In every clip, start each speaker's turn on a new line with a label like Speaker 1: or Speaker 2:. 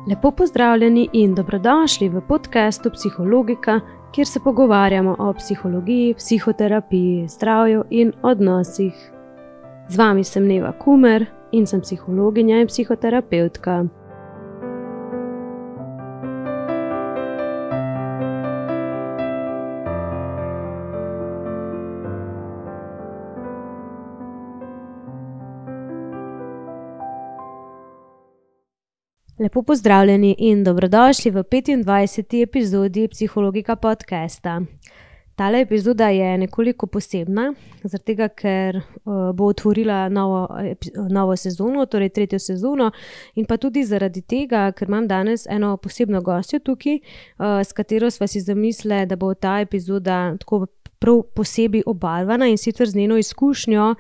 Speaker 1: Lepo pozdravljeni in dobrodošli v podcastu Psihologika, kjer se pogovarjamo o psihologiji, psihoterapiji, zdravju in odnosih. Z vami sem Neva Kumer in sem psihologinja in psihoterapevtka. Lepo pozdravljeni in dobrodošli v 25. epizodi Psihologika podcasta. Tale epizoda je nekoliko posebna, zaradi tega, ker bo otvorila novo sezono, torej 3. sezono, in pa tudi zaradi tega, ker imam danes eno posebno gostjo tukaj, s katero sva si zamislili, da bo ta epizoda tako prav posebej obarvana in sicer z njeno izkušnjo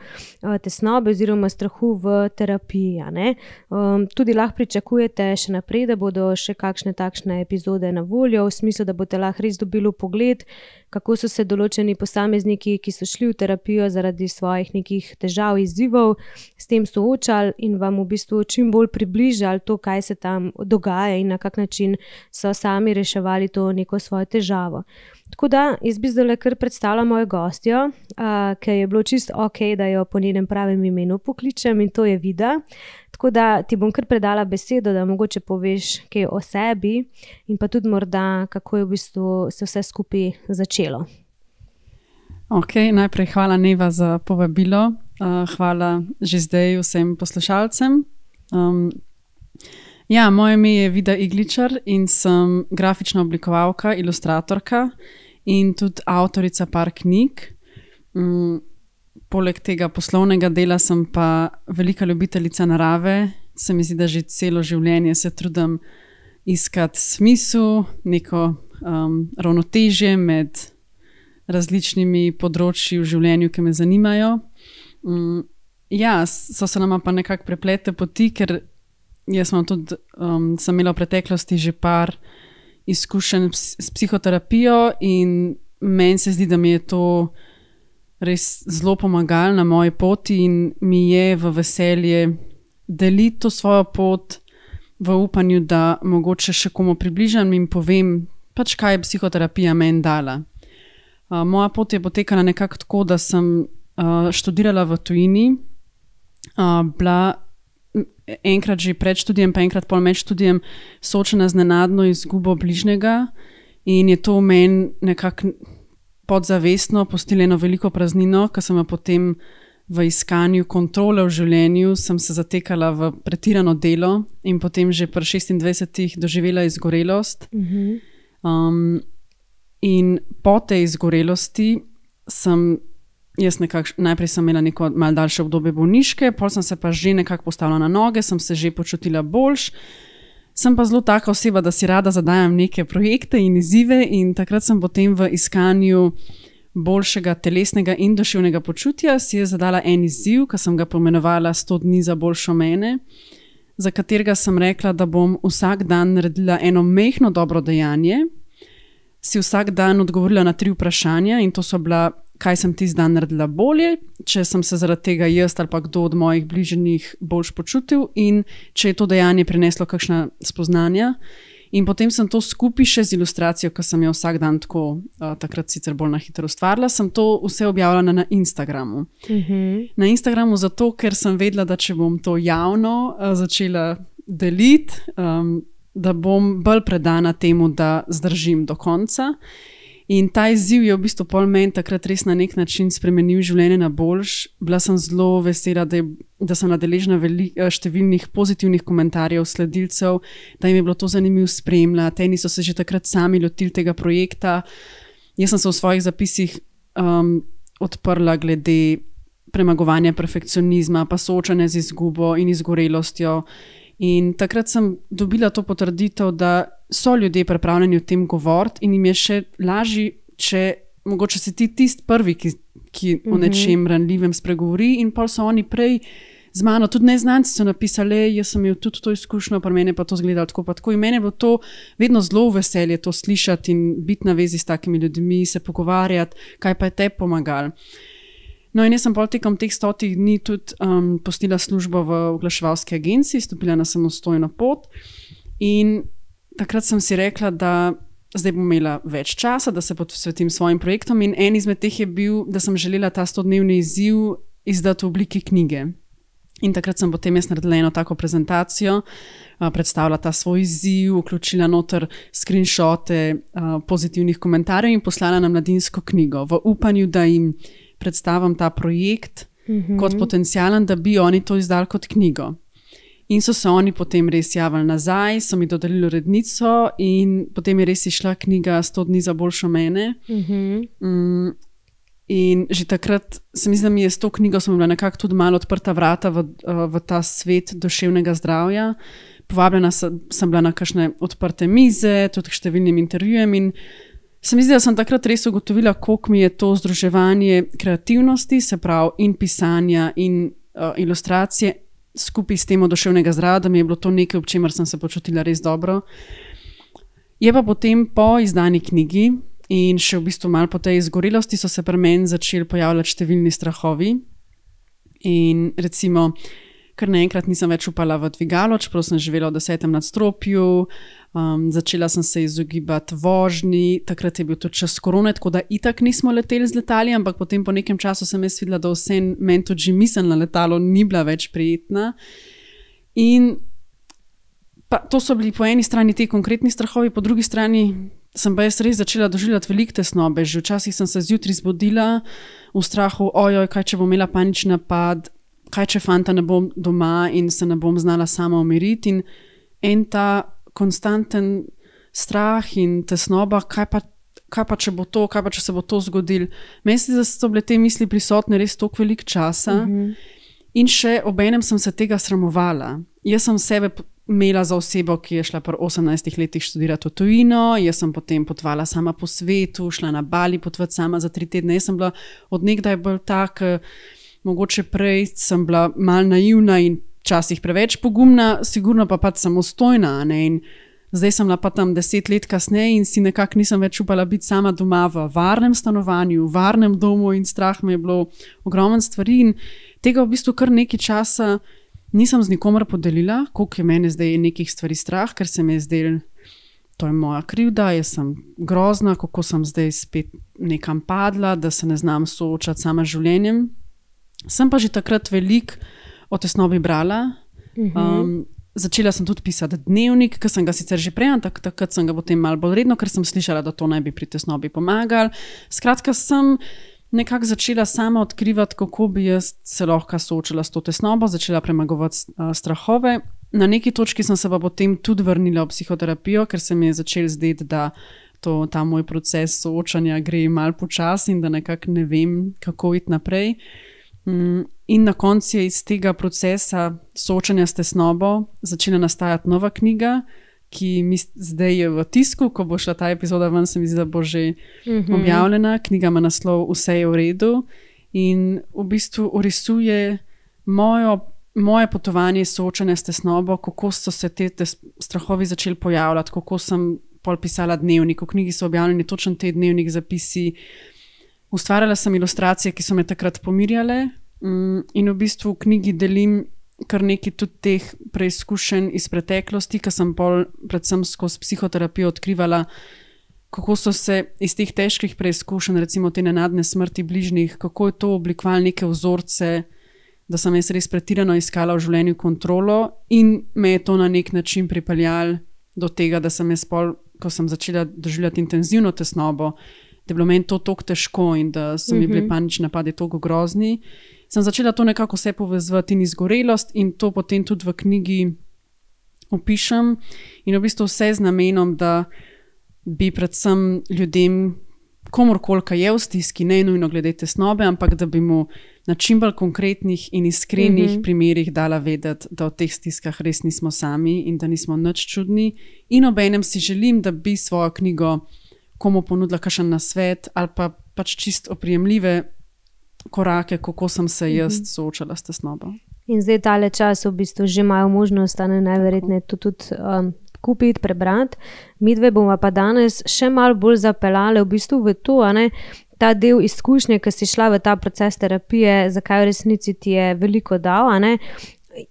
Speaker 1: tesnobe oziroma strahu v terapiji. Tudi lahko pričakujete še naprej, da bodo še kakšne takšne epizode na voljo, v smislu, da boste lahko res dobili pogled, kako so se določeni posamezniki, ki so šli v terapijo zaradi svojih nekih težav, izzivov, s tem soočali in vam v bistvu čim bolj približali to, kaj se tam dogaja in na kak način so sami reševali to neko svojo težavo. Tako da, jaz bi zdaj kar predstavila mojo gostjo, ker je bilo čisto ok, da jo po njenem pravem imenu pokličem, in to je Vida. Tako da ti bom kar predala besedo, da mogoče poveš kaj o sebi in pa tudi morda, kako je v bistvu se vse skupaj začelo.
Speaker 2: Ok, najprej hvala Neva za povabilo. Hvala že zdaj vsem poslušalcem. Moje ime je Vida Igličar in sem grafična oblikovalka, ilustratorka in tudi avtorica par knjig. Poleg tega poslovnega dela sem pa velika ljubiteljica narave. Se mi zdi, da že celo življenje se trudim iskati smisel, neko ravnotežje med različnimi področji v življenju, ki me zanimajo. So se nama pa nekako preplete poti, ker jaz sem imela v preteklosti že par izkušenj s psihoterapijo in meni se zdi, da mi je to res zelo pomagalo na moji poti in mi je v veselje deliti to svojo pot v upanju, da mogoče še komu približam in povem, kaj je psihoterapija meni dala. Moja pot je potekala nekako tako, da sem študirala v tujini, bila enkrat že pred študijem, pa enkrat pol med študijem soočena z nenadno izgubo bližnjega in je to v meni nekako podzavestno pustilo eno veliko praznino, ker sem jo potem v iskanju kontrole v življenju sem se zatekala v pretirano delo in potem že pri 26 doživela izgorelost. In po tej izgorelosti najprej sem imela neko malo daljše obdobje bolniške, pol sem se pa že nekako postavila na noge, sem se že počutila boljš. Sem pa zelo taka oseba, da si rada zadajam neke projekte in izzive in takrat sem potem v iskanju boljšega telesnega in duševnega počutja si je zadala en izziv, ki sem ga pomenovala 100 dni za boljšo mene, za katerega sem rekla, da bom vsak dan naredila eno majhno dobro dejanje, si vsak dan odgovorila na 3 vprašanja in to so bila, kaj sem tisti dan naredila bolje, če sem se zaradi tega jaz ali pa kdo od mojih bližnjih boljš počutil in če je to dejanje prineslo kakšna spoznanja. In potem sem to skupaj še z ilustracijo, ki sem jo vsak dan tako, takrat sicer bolj na hitro ustvarila, sem to vse objavljala na Instagramu. Na Instagramu zato, ker sem vedela, da če bom to javno začela deliti, da bom bolj predana temu, da zdržim do konca. In ta izziv je v bistvu pol meni takrat res na nek način spremenil življenje na boljš. Bila sem zelo vesela, da sem deležna številnih pozitivnih komentarjev sledilcev, da jim je bilo to zanimivo spremljati. Eni so se že takrat sami lotili tega projekta. Jaz sem se v svojih zapisih odprla glede premagovanja perfekcionizma, pa soočanja z izgubo in izgorelostjo. In takrat sem dobila to potrditev, da so ljudje pripravljeni o tem govoriti in jim je še lažje, če mogoče si ti tisti prvi, ki o nečem ranljivem spregovori in pol so oni prej z mano, tudi neznanci so napisali, jaz sem imel tudi to izkušnjo, pri meni pa to izgledalo tako pa tako in meni je bilo to vedno zelo veselje to slišati in biti na vezi s takimi ljudmi, se pogovarjati, kaj pa je tebi pomagalo. No in jaz sem pol tekom teh 100 dni tudi pustila službo v oglaševalski agenciji, stopila na samostojno pot In takrat sem si rekla, da zdaj bom imela več časa, da se posvetim svojim projektom in en izmed teh je bil, da sem želela ta 100-dnevni izziv izdati v obliki knjige. In takrat sem potem jaz naredila eno tako prezentacijo, predstavila ta svoj izziv, vključila noter screenshote pozitivnih komentarjev in poslala na Mladinsko knjigo v upanju, da jim predstavim ta projekt kot potencialen, da bi oni to izdali kot knjigo. In so se oni potem res javili nazaj, so mi dodelili urednico in potem je res išla knjiga 100 dni za boljšo mene. In že takrat se mi zdi, da mi je s to knjigo sem bila nekako tudi malo odprta vrata v ta svet duševnega zdravja. Povabljena sem bila na kakšne odprte mize, tudi k številnim intervjujem in se mi zdi, da sem takrat res ugotovila, koliko mi je to združevanje kreativnosti, se pravi in pisanja in ilustracije, skupaj s temo duševnega zdravja, da mi je bilo to nekaj, ob čemer sem se počutila res dobro. Je pa potem po izdani knjigi in še v bistvu malo po tej izgorelosti so se pri meni začeli pojavljati številni strahovi. In recimo, kar naenkrat nisem več upala v dvigalo, čeprav sem živela v 10. nadstropju, začela sem se izogibati vožnji, takrat je bil tudi čas korone, tako da itak nismo leteli z letali, ampak potem po nekem času sem jaz videla, da vse meni tudi že misel na letalo ni bila več prijetna. In pa to so bili po eni strani ti konkretni strahovi, po drugi strani sem pa jaz res začela doživljati veliko tesnobe. Že včasih sem se zjutraj zbudila v strahu, ojoj, kaj če bom imela panični napad, kaj če fanta ne bom doma in se ne bom znala sama umiriti. In en ta konstanten strah in tesnoba, kaj pa če bo to, kaj pa če se bo to zgodilo. Meni se, da so bile te misli prisotne res toliko veliko časa in še obenem sem se tega sramovala. Jaz sem sebe imela za osebo, ki je šla pri 18 letih študirati v tujino, jaz sem potem potovala sama po svetu, šla na Bali potovati sama za 3 tedne. Jaz sem bila od nekdaj bolj tak, mogoče prej sem bila malo naivna in včasih preveč pogumna, sigurno pa pač samostojna, ne? In zdaj sem bila pa tam 10 let kasneje in si nekako nisem več upala biti sama doma v varnem stanovanju, v varnem domu in strah me je bilo ogromno stvari in tega v bistvu kar nekaj časa nisem z nikomer podelila, koliko je mene zdaj nekih stvari strah, ker se mi je zdelo, to je moja krivda, jaz sem grozna, kako sem zdaj spet nekam padla, da se ne znam soočati sama z življenjem. Sem pa že takrat veliko o tesnobi brala. Začela sem tudi pisati dnevnik, ki sem ga sicer že prej, takrat sem ga potem malo bolj redno, ker sem slišala, da to naj bi pri tesnobi pomagali. Skratka, sem nekako začela sama odkrivati, kako bi jaz se lahko soočila s to tesnobo, začela premagovati strahove. Na neki točki sem se pa potem tudi vrnila v psihoterapijo, ker se mi je začel zdeti, da ta moj proces soočanja gre malo počasi in da nekako ne vem, kako iti naprej. In na koncu je iz tega procesa soočanja s tesnobo začela nastajati nova knjiga, ki zdaj je v tisku, ko bo šla ta epizoda ven, se mi zdi, da bo že objavljena. Knjiga ima naslov Vse je v redu in v bistvu orisuje moje potovanje soočanja s tesnobo, kako so se te strahovi začeli pojavljati, kako sem pol pisala dnevnik. V knjigi so objavljeni točno te dnevnik zapisi. Ustvarjala sem ilustracije, ki so me takrat pomirjale in v bistvu v knjigi delim kar nekaj tudi teh preizkušenj iz preteklosti, ki sem pol predvsem skozi psihoterapijo odkrivala, kako so se iz teh težkih preizkušenj, recimo te nenadne smrti bližnjih, kako je to oblikovalo neke vzorce, da sem jaz res pretirano iskala v življenju kontrolo in me je to na nek način pripeljalo do tega, da sem jaz pol, ko sem začela doživljati intenzivno tesnobo, da je bilo meni to toliko težko in da so mi bili panični napadi toliko grozni, sem začela to nekako vse povezovati in izgorelost in to potem tudi v knjigi opišem in v bistvu vse z namenom, da bi predvsem ljudem, komorkoli, ki je v stiski, ne nujno glede tesnobe, ampak da bi mu na čim bolj konkretnih in iskrenih primerih dala vedeti, da v teh stiskah res nismo sami in da nismo nič čudni. In obenem si želim, da bi svojo knjigo komu ponudila kakšen nasvet ali pa pač čisto oprijemljive korake, kako sem se jaz soočala s tesnobo.
Speaker 1: In zdaj tale čas v bistvu že imajo možnost, najverjetneje to tudi kupiti, prebrati. Midve bomo pa danes še malo bolj zapeljali v bistvu v to, ta del izkušnje, ki si šla v ta proces terapije, zakaj v resnici ti je veliko dal,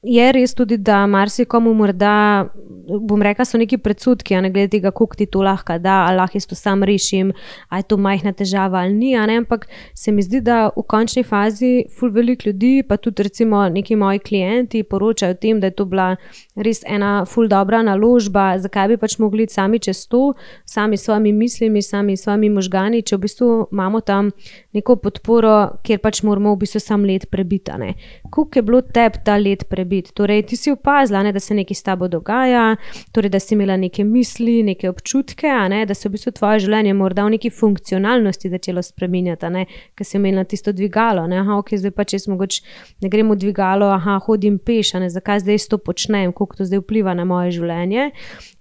Speaker 1: je res tudi, da marsikomu morda, bom rekla, so neki predsodki, a ne glede tega, koliko ti to lahko da, ali lahko jaz to sam rešim, ali je to majhna težava ali ni, a ne, ampak se mi zdi, da v končni fazi ful veliko ljudi, pa tudi recimo neki moji klienti poročajo o tem, da je to bila res ena ful dobra naložba, zakaj bi pač mogli sami čez to, sami s svojimi mislimi, sami s svojimi možgani, če v bistvu imamo tam neko podporo, kjer pač moramo v bistvu sam let prebiti, a ne. Koliko je bilo tebi ta let prebiti? Torej, ti si opazila, ne, da se nekaj s tabo dogaja, torej, da si imela neke misli, neke občutke, a ne, da se v bistvu tvoje življenje morda v neki funkcionalnosti začelo spreminjati, a ne, ker si imela tisto dvigalo, ne, ok, zdaj pa če mogoče ne grem v dvigalo, hodim peš, a ne, zakaj zdaj to počnem, koliko to zdaj vpliva na moje življenje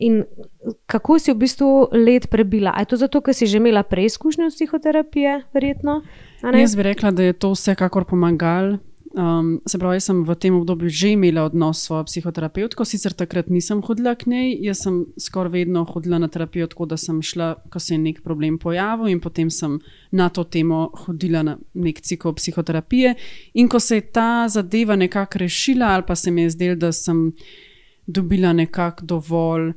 Speaker 1: in kako si v bistvu let prebila? A je to zato, ker si že imela preizkušnjo psihoterapije, verjetno?
Speaker 2: Jaz bi rekla, da je to vsekakor pomagalo. Se pravi, jaz sem v tem obdobju že imela odnos s svojo psihoterapevtko, sicer takrat nisem hodila k njej, jaz sem skoraj vedno hodila na terapijo tako, da sem šla, ko se je nek problem pojavil in potem sem na to temo hodila na nek cikl psihoterapije in ko se je ta zadeva nekako rešila ali pa se mi je zdelo, da sem dobila nekako dovolj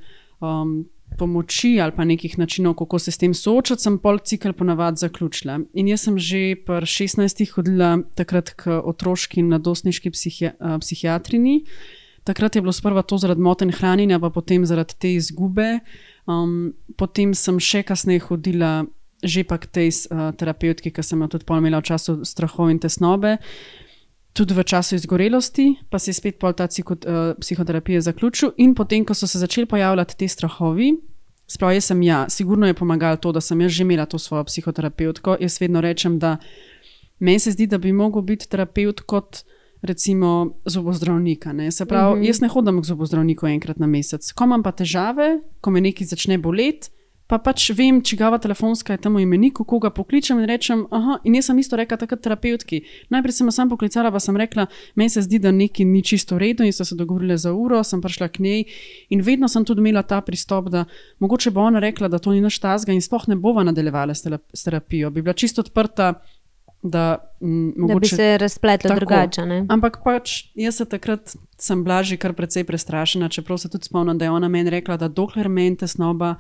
Speaker 2: pomoči ali pa nekih načinov, kako se s tem soočati, sem pol cikel ponavadi zaključila. In jaz sem že pri 16 hodila takrat k otroški in mladostniški psihiatrini. Takrat je bilo sprva to zaradi motenj hranjenja, pa potem zaradi te izgube. Potem sem še kasneje hodila že pa k tej terapevtki, ki sem jo tudi pol imela v času strahov in tesnobe. Tudi v času izgorelosti, pa se je spet pol ta psihoterapija zaključil in potem, ko so se začeli pojavljati te strahovi, sprav jaz sem sigurno je pomagalo to, da sem jaz že imela to svojo psihoterapevtko. Jaz vedno rečem, da meni se zdi, da bi mogel biti terapeut kot recimo zobozdravnika, ne. Se pravi, jaz ne hodim k zobozdravniku enkrat na mesec. Ko imam pa težave, ko me nekaj začne boleti, pa pač vem, čigava telefonska je tam v imeniku, koga pokličem in rečem, in jaz sem isto rekla takrat terapevtki. Najprej sem jo sam poklicala, pa sem rekla, meni se zdi, da nekaj ni čisto v redu in so se dogovorili za uro, sem prišla k njej in vedno sem tudi imela ta pristop, da mogoče bo ona rekla, da to ni nič takega in sploh ne bova nadaljevala s terapijo. Bi bila čisto odprta, da mogoče...
Speaker 1: Da bi se razpletla drugače, ne?
Speaker 2: Ampak pač jaz se takrat sem bila že kar precej prestrašena, čeprav se tudi spomnim, da je ona meni rekla, da dokler meni tesnoba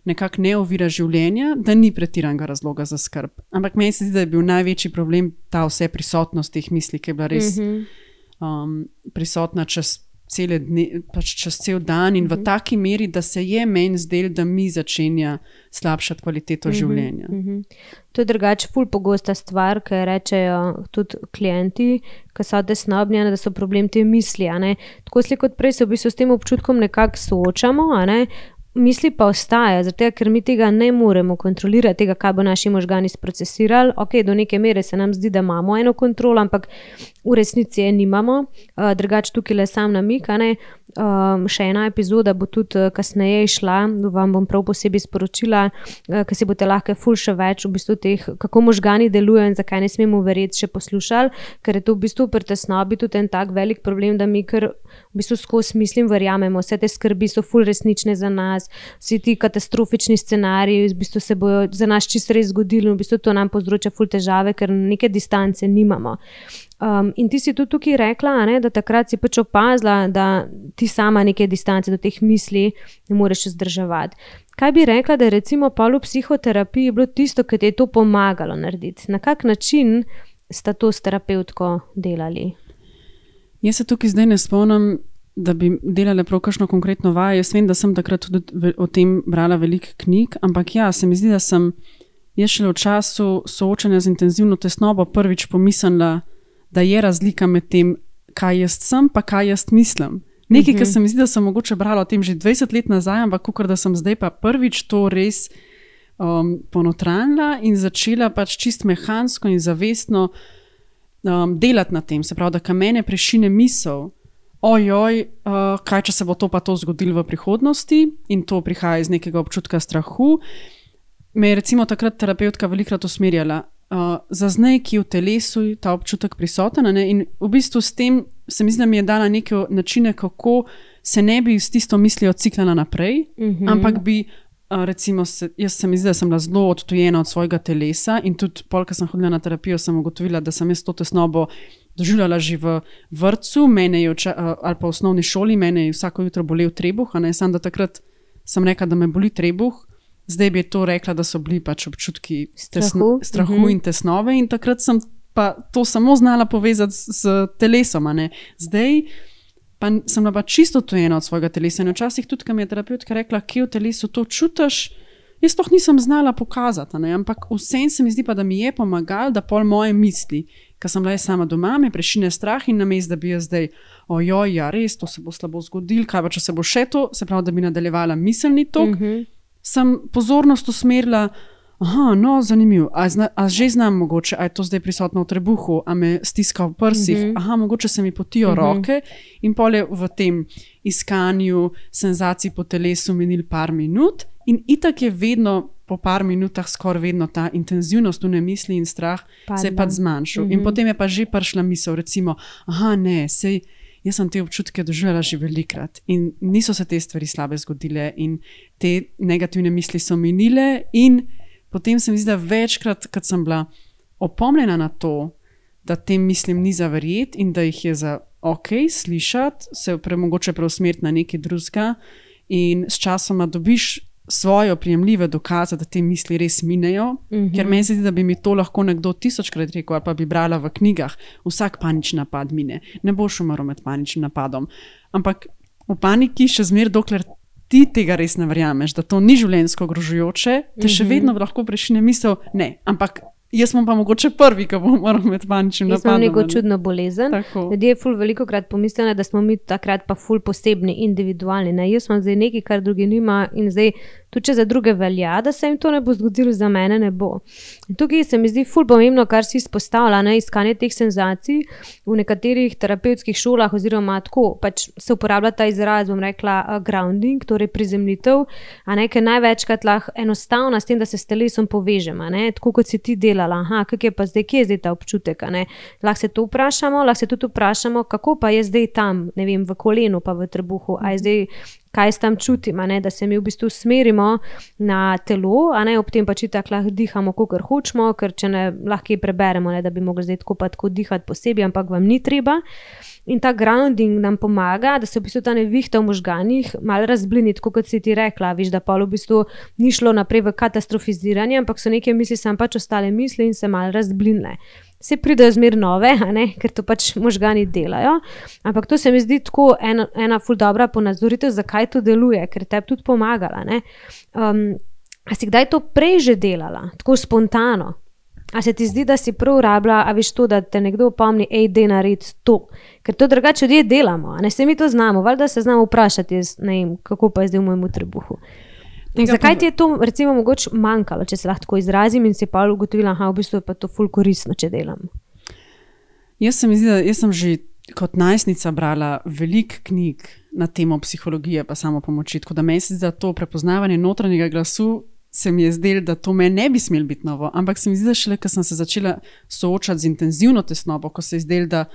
Speaker 2: nekako ne ovira življenja, da ni pretiranega razloga za skrb. Ampak meni se zdi, da je bil največji problem ta vse prisotnost teh misli, ki je bila res prisotna čez cele dne, pač čez cel dan in v taki meri, da se je meni zdelo, da mi začenja slabšati kvaliteto življenja.
Speaker 1: To je drugače ful pogosta stvar, ki rečejo tudi klienti, ki so tesnobni, da so problem te misli, a ne. Tako slik kot prej se v bistvu s tem občutkom nekako soočamo, a ne. Misli pa ostaja, zato ker mi tega ne moremo kontrolirati, tega, kaj bo naši možgani sprocesirali. Ok, do neke mere se nam zdi, da imamo eno kontrolo, ampak v resnici je nimamo. Drugače tukaj le sam namik, a ne. Še ena epizoda bo tudi kasneje išla, vam bom prav posebej sporočila, ker si boste lahko ful še več v bistvu teh, kako možgani delujejo in zakaj ne smemo verjeti, še poslušali, ker je to v bistvu pri tesnobi tudi en tak velik problem, da mi kar v bistvu skozi mislim verjamemo, vse te skrbi so ful resnične za nas, vsi ti katastrofični scenariji v bistvu se bojo za nas čisto res zgodili in v bistvu to nam povzroča ful težave, ker neke distance nimamo. In ti si tudi tukaj rekla, a ne, da takrat si pač opazila, da ti sama neke distance do teh misli ne moreš vzdrževati. Kaj bi rekla, da je recimo pol v psihoterapiji bilo tisto, ki ti je to pomagalo narediti? Na kak način sta to s terapevtko delali?
Speaker 2: Jaz se tukaj zdaj ne spomnim, da bi delala prav kakšno konkretno vajo. Jaz vem, da sem takrat tudi o tem brala veliko knjig, ampak se mi zdi, da sem jaz šele v času soočanja z intenzivno tesnobo prvič pomislila, da je razlika med tem, kaj jaz sem, pa kaj jaz mislim. Nekaj, kar se mi zdi, da sem mogoče brala o tem že 20 let nazaj, ampak kakor da sem zdaj pa prvič to res ponotranila in začela pač čist mehansko in zavestno delati na tem. Se pravi, da ka mene prešine misel, kaj če se bo to pa to zgodilo v prihodnosti in to prihaja iz nekega občutka strahu. Me je recimo takrat terapeutka velikrat usmerjala, zaznaj, ki je v telesu ta občutek prisoten, ne? In v bistvu s tem se mi zdi, da mi je dala neke načine, kako se ne bi s tisto mislijo ciklala naprej, ampak bi recimo, jaz se mi zdi, da sem bila zelo odtujena od svojega telesa in tudi pol, ko sem hodila na terapijo, sem ugotovila, da sem jaz to tesnobo doživljala že v vrtcu, mene je ali pa v osnovni šoli, mene je vsako jutro bolel trebuh, a ne samo da takrat sem rekla, da me boli trebuh, zdaj bi to rekla, da so bili pač občutki strahu in tesnove in takrat sem pa to samo znala povezati s telesom, a ne. Zdaj pa sem bila čisto odtujena od svojega telesa in včasih tudi, ko mi je terapeutka rekla, kje v telesu to čutiš, jaz to nisem znala pokazati, ne? Ampak vsem se mi zdi pa, da mi je pomagal, da pol moje misli, ko sem bila jaz sama doma, me prešine strah in namesto, da bi jaz zdaj, ojoj, ja res, to se bo slabo zgodilo, kaj pa če se bo še to, se pravi, da bi nadaljevala miselni tok, sem pozornost usmerila, aha, no, zanimivo, a že znam mogoče, a je to zdaj prisotno v trebuhu, a me stiska v prsih, aha, mogoče se mi potijo roke in pol je v tem iskanju senzacij po telesu minil par minut in itak je vedno po par minutah skoraj vedno ta intenzivnost v misli in strah se je pa zmanjšal. In potem je pa že prišla misel, recimo, aha, ne, sej jaz sem te občutke doživela že velikrat in niso se te stvari slabe zgodile in te negativne misli so minile in potem se mi zdi, da večkrat, kad sem bila opomljena na to, da tem mislim ni za verjeti in da jih je za ok slišati, se mogoče preusmeriti na nekaj drugega in s časoma dobiš svoje oprijemljive dokaze, da te misli res minejo, ker meni se zdi, da bi mi to lahko nekdo 1000krat rekel, ali pa bi brala v knjigah, vsak panični napad mine, ne boš umrl med paničnim napadom. Ampak v paniki še zmeraj, dokler ti tega res ne verjameš, da to ni življenjsko ogrožujoče, te še vedno lahko prešine misel, ne, ampak jaz sem pa mogoče prvi, ki bom moral med paničnim napadom.
Speaker 1: Jaz imam neko čudno bolezen. Ljudje ful velikokrat pomislijo, da smo mi takrat pa ful posebni, individualni. Ne? Jaz imam zdaj nekaj, kar drugi nima in zdaj tudi če za druge velja, da se jim to ne bo zgodilo, za mene ne bo. In tukaj se mi zdi ful pomembno, kar si izpostavlja, ne, iskanje teh senzacij v nekaterih terapevtskih šolah oziroma tako, pač se uporablja ta izraz, bom rekla, grounding, torej prizemljitev, a ne, ker največkrat lahko enostavno s tem, da se s telesom povežem, a ne, tako kot si ti delala, aha, kak je pa zdaj, kje je zdaj ta občutek, a ne, lahko se to vprašamo, lahko se tudi vprašamo, kako pa je zdaj tam, ne vem, v kolenu pa v trebuhu, a je zdaj kaj s tam čutim, ne, da se mi v bistvu smerimo na telo, a ne, ob tem pač tako lahko dihamo, kakor hočemo, ker če ne, lahko je preberemo, ne, da bi mogli zdaj tako pa tako dihati posebej, ampak vam ni treba. In ta grounding nam pomaga, da se v bistvu ta nevihta v možganih malo razblini, tako kot si ti rekla, viš, da pol v bistvu ni šlo naprej v katastrofiziranje, ampak so neke misli sam pač ostale misli in se malo razblinile. Se pridejo zmer nove, a ne, ker to pač možgani delajo, ampak to se mi zdi tako ena ful dobra ponazoritev, zakaj to deluje, ker tebi tudi pomagala, ne. A si kdaj to prej že delala, tako spontano? A se ti zdi, da si prav rabila, a veš to, da te nekdo opomni, dej naredi to, ker to drugače ljudje delamo, a ne, se mi to znamo, valjda se znamo vprašati, ne vem, kako pa je zdaj v mojemu trebuhu. Zakaj ti je to recimo mogoče manjkalo, če se lahko tako izrazim in si pa ugotovila, aha, v bistvu je pa to ful koristno, če delam?
Speaker 2: Jaz sem že kot najstnica brala veliko knjig na temo psihologije pa samopomoči, tako da meni se zdi, da to prepoznavanje notranjega glasu se mi je zdelo, da to meni ne bi smelo biti novo, ampak se mi zdi, da šele, ko sem se začela soočati z intenzivno tesnobo, ko se je zdelo, da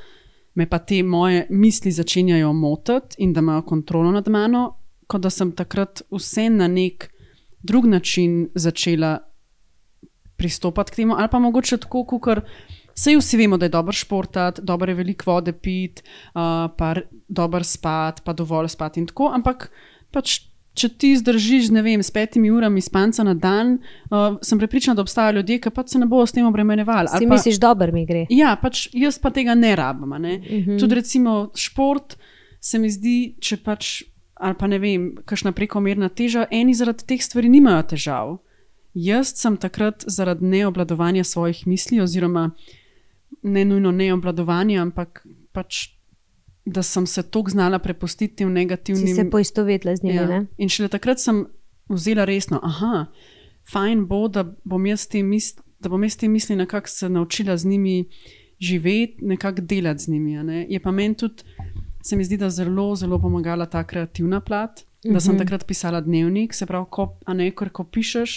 Speaker 2: me pa te moje misli začenjajo motiti in da imajo kontrolo nad mano, kot da sem takrat vse na nek drug način začela pristopati k temu, ali pa mogoče tako, kakor saj vsi vemo, da je dobro športati, dobro je veliko vode piti, pa dobro spati, pa dovolj spati in tako, ampak pač, če ti zdržiš, ne vem, s 5 urami spanca na dan, sem prepričana, da obstajajo ljudje, ki pač se ne bojo s tem obremenjevali.
Speaker 1: Si misliš, dobro mi gre?
Speaker 2: Ja, pač jaz pa tega ne rabim, ne. Tudi recimo šport se mi zdi, če pač ali pa ne vem, kakšna prekomerna teža, eni zaradi teh stvari nimajo težav. Jaz sem takrat zaradi neobvladovanja svojih misli oziroma ne nujno neobvladovanja, ampak pač, da sem se toliko znala prepustiti tem negativnim...
Speaker 1: Si se poistovetila z njimi, ne?
Speaker 2: In šele takrat sem vzela resno, aha, fajn bo, da bom jaz te misli nekako se naučila z njimi živeti, nekako delati z njimi, ne? Je pa meni tudi se mi zdi, da zelo, zelo pomagala ta kreativna plat, da sem takrat pisala dnevnik, se pravi, ko pišeš,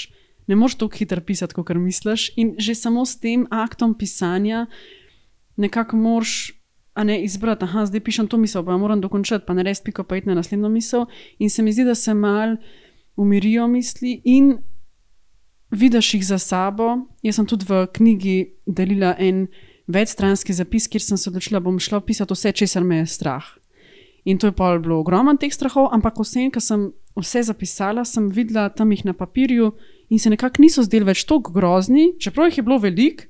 Speaker 2: ne moreš toliko hitro pisati, kot misliš in že samo s tem aktom pisanja nekako moraš izbrati, aha, zdaj pišem to misel, pa moram dokončati, pa ne res piko pa iti na naslednjo misel in se mi zdi, da se mal umirijo misli in vidiš jih za sabo. Jaz sem tudi v knjigi delila en večstranski zapis, kjer sem se odločila, bom šla pisati vse, česar me je strah. In to je pa bilo ogromno teh strahov, ampak vsem, ko sem vse zapisala, sem videla tam jih na papirju in se nekako niso zdeli več toliko grozni, čeprav jih je bilo veliko,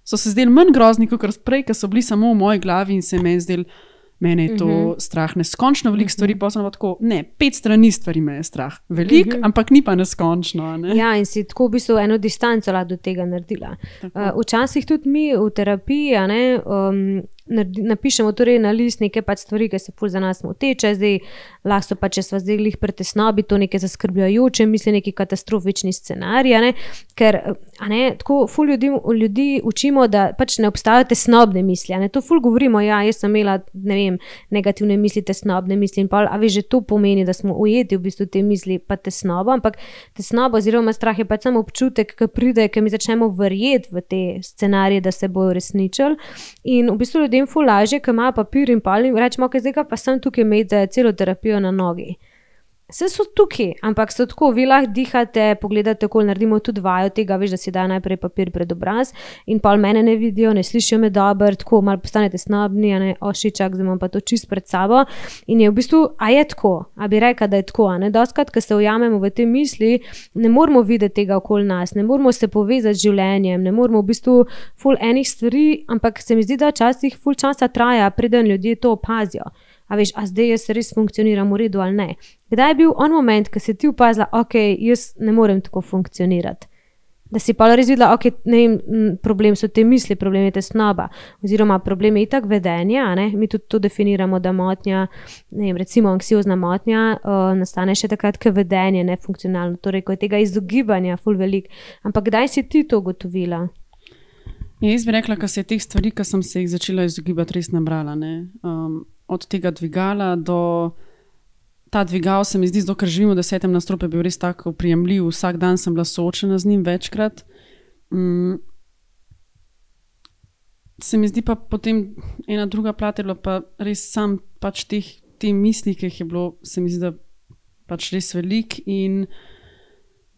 Speaker 2: so se zdeli manj grozni, kot prej, ker so bili samo v moji glavi in se meni zdeli, mene je to strah neskončno veliko stvari, pa sem tako, ne, 5 strani stvari me je strah. Veliko, ampak ni pa neskončno. Ne?
Speaker 1: Ja, in si tako v bistvu eno distanco do tega naredila. Včasih tudi mi v terapiji, napišemo torej na list neke pač stvari, ki se ful za nas moteče, zdaj lahko so pa, če sva zdaj glih pri tesnobi, to neke zaskrbljujoče misli, neki katastrofični scenarij, ker tako ful ljudi učimo, da pač ne obstajajo tesnobne misli, to ful govorimo, ja, jaz sem imela, ne vem, negativne misli, tesnobne misli in pol, a veš, že to pomeni, da smo ujeti v bistvu te misli pa tesnobo, ampak tesnoba oziroma strah je pač samo občutek, ki pride, ki mi začnemo verjeti v te scenarije, da se bojo uresničili in v bistvu ljudem ful lažje, ki imajo papir in pol in rečemo, ok, zdaj pa sem tukaj imeti celo terapijo na nogi. Vse so tukaj, ampak so tako, vi lahko dihate, pogledate, kako naredimo tudi vajo tega, veš, da si dajo najprej papir pred obraz in pol mene ne vidijo, ne slišijo me dobro, tako malo postanete snobni, ošičak, zdaj imam pa to čist pred sabo in je v bistvu, a je tako, a bi rekla, da je tako, Dostikrat, ko se ujamemo v te misli, ne moramo videti tega okoli nas, ne moramo se povezati z življenjem, ne moramo v bistvu ful enih stvari, ampak se mi zdi, da včasih ful časa traja, preden ljudje to opazijo. A veš, a zdaj jaz res funkcioniram v redu ali ne. Kdaj je bil on moment, ko si ti opazila, ok, jaz ne morem tako funkcionirati? Da si pa res videla, ok, ne vem, problem so te misli, problem je tesnoba, oziroma problem je itak vedenja, mi tudi to definiramo, da motnja, ne vem, recimo anksiozna motnja, nastane še takrat, ko vedenje nefunkcionalno, torej, ko je tega izogibanja ful velik. Ampak kdaj si ti to ugotovila?
Speaker 2: Jaz bi rekla, ko se je teh stvari, ko sem se jih začela izogibati, res nabrala, od tega dvigala do ta dvigal se mi zdi, ker živim v 10. nadstropju, je bil res tako prijemljiv, vsak dan sem bila soočena z njim večkrat. Se mi zdi pa potem ena druga plat je bila pa res sam pač te misli, ki jih je bilo, se mi zdi, da pač res velik in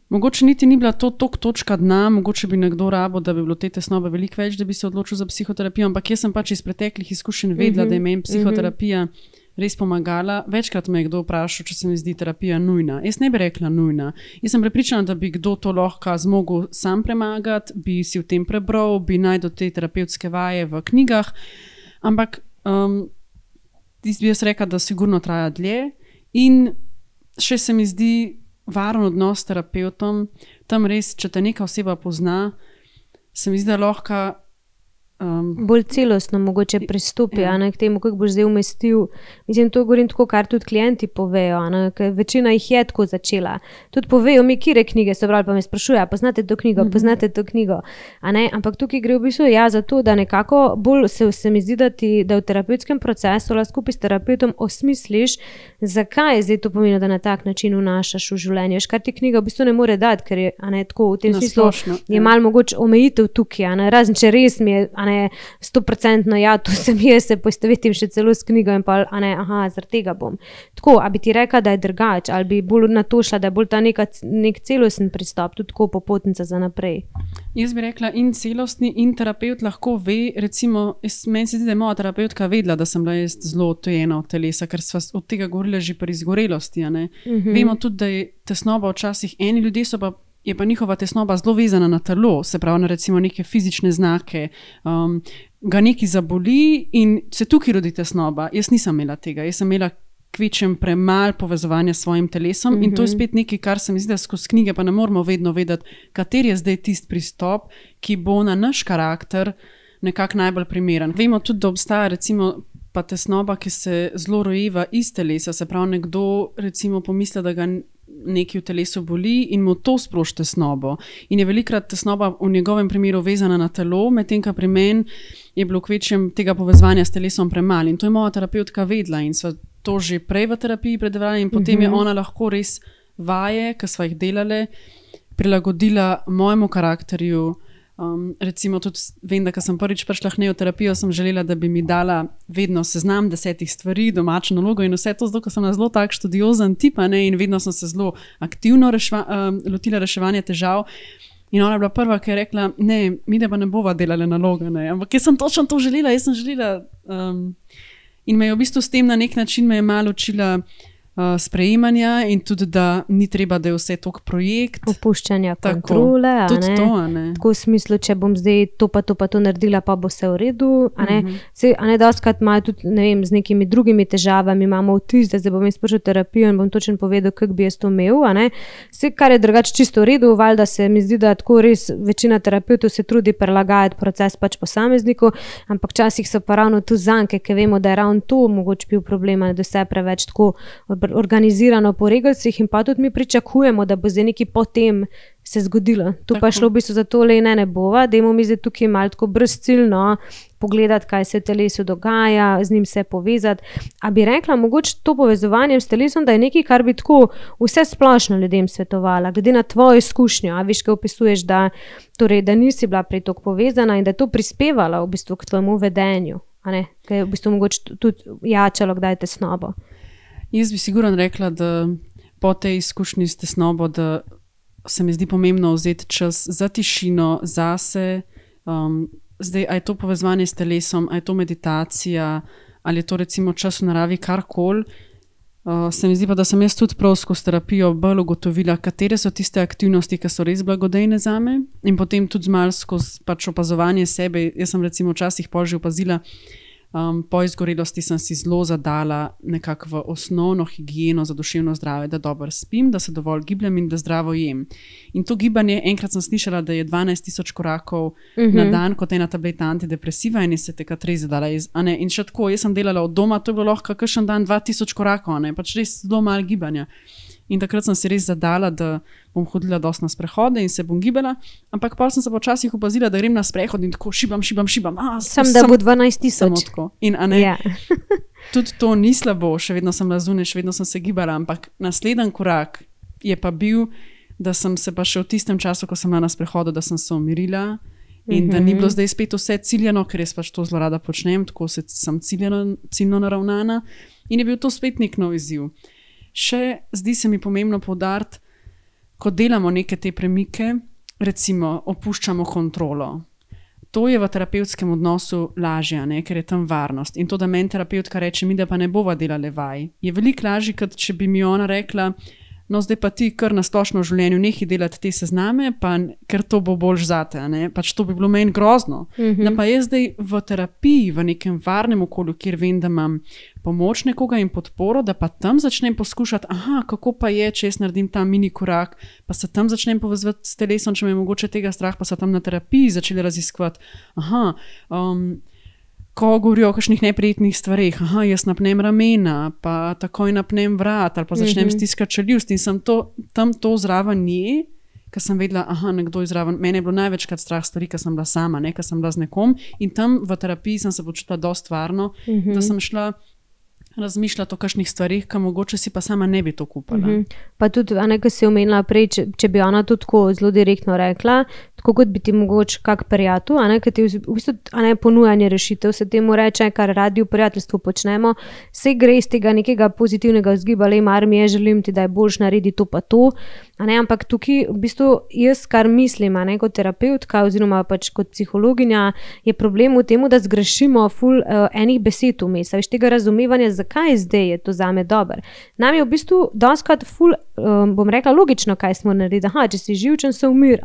Speaker 2: mogoče niti ni bila to točka dna, mogoče bi nekdo rabo, da bi bilo te tesnobe veliko več, da bi se odločil za psihoterapijo, ampak jaz sem pač iz preteklih izkušenj vedela, da je meni psihoterapija res pomagala. Večkrat me je kdo vprašal, če se mi zdi terapija nujna. Jaz ne bi rekla nujna. Jaz sem prepričana, da bi kdo to lahko zmogel sam premagati, bi si v tem prebral, bi najdel te terapevtske vaje v knjigah, ampak bi jaz rekla, da sigurno traja dlje in še se mi zdi varen odnos s terapevtom, tam res, če te neka oseba pozna, se mi zdi, da lahko
Speaker 1: bolj celostno mogoče pristopi, k temu, kako boš zdaj umestil. Mislim, to govorim tako, kar tudi klienti povejo, ker večina jih je tako začela. Tudi povejo mi, kire knjige so brali, pa me sprašujejo, poznate to knjigo, ampak tukaj gre v bistvu za to, da nekako bolj se mi zdi, da v terapevtskem procesu lahko skupaj s terapeutom osmisliš, zakaj zdaj to pomeni, da na tak način vnašaš v življenje. Kar ti knjiga v bistvu ne more dati, ker je tako v tem smislu je malo mogoče omejitev tukaj, razen če res mi je 100% to sem jaz, se poistovetim še celo s knjigo in pa, zaradi tega bom. Tako, a bi ti rekla, da je drugače, ali bi bolj na to šla, da je bolj ta nek celosten pristop, tudi tako popotnica za naprej?
Speaker 2: Jaz bi rekla in celostni in terapeut lahko ve, recimo, meni se zdi, da je moja terapeutka vedela, da sem bila jaz zelo odtujena od telesa, ker sva od tega govorila že pri izgorelosti, Vemo tudi, da je tesnoba včasih, eni ljudje so pa je pa njihova tesnoba zelo vezana na telo, se pravi na recimo neke fizične znake, ga nekaj zaboli in se tukaj rodi tesnoba. Jaz nisem imela tega, jaz sem imela kvečem premalo povezovanja s svojim telesom in to je spet nekaj, kar se mi zdi, da skozi knjige pa ne moramo vedno vedeti, kateri je zdaj tisti pristop, ki bo na naš karakter nekako najbolj primeren. Vemo tudi, da obstaja recimo pa tesnoba, ki se zelo rojeva iz telesa, se pravi nekdo recimo pomisli, da ga nekaj v telesu boli in mu to sproži tesnobo. In je velikrat tesnoba v njegovem primeru vezana na telo, medtem ko pri meni je bilo kvečem tega povezovanja s telesom premalo. In to je moja terapeutka vedela in sva to že prej v terapiji predevala in potem je ona lahko res vaje, ki sva jih delale, prilagodila mojemu karakterju, Recimo tudi vem, da ko sem prvič prišla k neoterapijo, sem želela, da bi mi dala vedno seznam 10 stvari, domačo nalogo in vse to, zato ker sem zelo tak študiozen tip, in vedno sem se zelo aktivno lotila reševanja težav. In ona je bila prva, ki je rekla, ne, mi da pa ne bova delala naloga, ne. Ampak jaz sem točno to želela, in me je v bistvu s tem na nek način me je malo učila sprejemanja in tudi, da ni treba, da je vse tok projekt.
Speaker 1: Opuščanja kontrole,
Speaker 2: tudi to, ne.
Speaker 1: Tako v smislu, če bom zdaj to pa to naredila, pa bo vse v redu, dostikrat imajo tudi, ne vem, z nekimi drugimi težavami, imamo vtis, da zdaj bom jaz prišel v terapijo in bom točno povedal, kako bi jaz to imel, Vse, kar je drugače čisto v redu, valjda se mi zdi, da tako res večina terapeutov se trudi prilagajati proces pač posamezniku, ampak včasih so pa ravno tu zanke, ker vemo, da je ravno to mogoče bil problem, da se je preveč tako organizirano po regalcih in pa tudi mi pričakujemo, da bo zdaj nekaj potem se zgodilo. Tu pa šlo v bistvu za to, ne bova, dajmo mi zdaj tukaj malo tako brezciljno pogledati, kaj se v telesu dogaja, z njim se povezati. A bi rekla, mogoče to povezovanje s telesom, da je nekaj, kar bi tako vse splošno ljudem svetovala, glede na tvojo izkušnjo, a viš, kaj opisuješ, da nisi bila prej toliko povezana in da je to prispevalo v bistvu k tvojemu vedenju, kaj je v bistvu mogoče tudi jačalo kdaj tesnobo.
Speaker 2: Jaz bi sigurno rekla, da po tej izkušnji s tesnobo, da se mi zdi pomembno vzeti čas za tišino, zase. Zdaj, a je to povezovanje s telesom, a je to meditacija, ali je to recimo čas v naravi, karkoli. Se mi zdi pa, da sem jaz tudi prav skozi terapijo bolj ugotovila, katere so tiste aktivnosti, ki so res blagodejne zame, in potem tudi malo skozi pač opazovanje sebe. Jaz sem recimo včasih pol že opazila, po izgorelosti sem si zelo zadala nekako v osnovno higieno za duševno zdravje, da dobro spim, da se dovolj gibljem in da zdravo jem. In to gibanje, enkrat sem slišala, da je 12.000 korakov na dan kot ena tableta antidepresiva in se takrat res zadala. In še tako, jaz sem delala od doma, to je bilo lahko kakšen dan 2000 korakov, pač res zelo malo gibanja. In takrat sem si res zadala, da bom hodila dosti na sprehode in se bom gibala, ampak pa sem se počasih opazila, da grem na sprehod in tako šibam.
Speaker 1: Da bo 12.000.
Speaker 2: In tudi to ni slabo, še vedno sem lazune, še vedno sem se gibala, ampak naslednji korak je pa bil, da sem se pa še v tistem času, ko sem bila na sprehodu, da sem se umirila in da ni bilo zdaj spet vse ciljano, ker jaz pač to zelo rada počnem, tako sem ciljno naravnana in je bil to spet nek nov izziv. Še zdi se mi pomembno poudariti, ko delamo neke te premike, recimo opuščamo kontrolo. To je v terapevtskem odnosu lažje, ker je tam varnost. In to, da meni terapeutka reče, mi da pa ne bova delale vaj, je veliko lažje, kot če bi mi ona rekla, no zdaj pa ti kar na splošno v življenju nehaj delati te sezname, pa ker to bo boljš zate, pač to bi bilo meni grozno. Da pa jaz zdaj v terapiji, v nekem varnem okolju, kjer vem, da imam pomoč nekoga in podporo, da pa tam začnem poskušati, kako pa je, če jaz naredim ta mini korak, pa se tam začnem povezati s telesom, če me je mogoče tega strah, pa se tam na terapiji začeli raziskovati. Ko govorijo o kakšnih neprijetnih stvareh, jaz napnem ramena, pa takoj napnem vrat, ali pa začnem stiskati čeljust in sem tam to zraven nje, ker sem vedela, nekdo je zraven. Mene je bilo največkrat strah stvari, ker sem bila sama, ker sem bila z nekom in tam v terapiji sem se počutila dosti varno, da sem šla razmišljati o kakšnih stvarih, ki mogoče si pa sama ne bi to kupala.
Speaker 1: Pa tudi, ko si omenila prej, če bi ona tudi tako zelo direktno rekla, tako kot bi ti mogoče kak prijatelj, ki ti v bistvu ponujanje rešitev, se temu reče, kar radi v prijateljstvu počnemo, se gre iz tega nekega pozitivnega vzgiba, mar mi je, želim ti, da je boljš naredi to pa to, ampak tukaj v bistvu jaz, kar mislim, kot terapeutka oziroma pač kot psihologinja, je problem v tem, da zgrešimo ful enih besed vmes, veš, tega razumevanja, zakaj zdaj je to zame dobro. Nam je v bistvu dostikrat ful, bom rekla, logično, kaj smo naredili, če si živčen, se umir,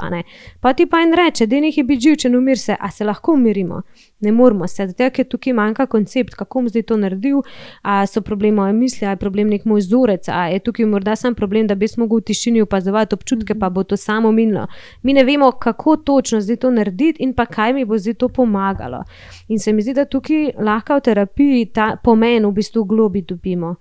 Speaker 1: pa ti pa en reče, da nekaj biti živčen, umir se, a se lahko umirimo? Ne moramo se, zato ker tukaj manjka koncept, kako bom zdaj to naredil, a so problem moje misli, a je problem nek moj vzorec, a je tukaj morda sam problem, da bi jaz mogel v tišini opazovati občutke, pa bo to samo minilo. Mi ne vemo, kako točno zdaj to narediti in pa kaj mi bo zdaj to pomagalo. In se mi zdi, da tukaj lahko v terapiji ta pomen v bistvu globi dobimo.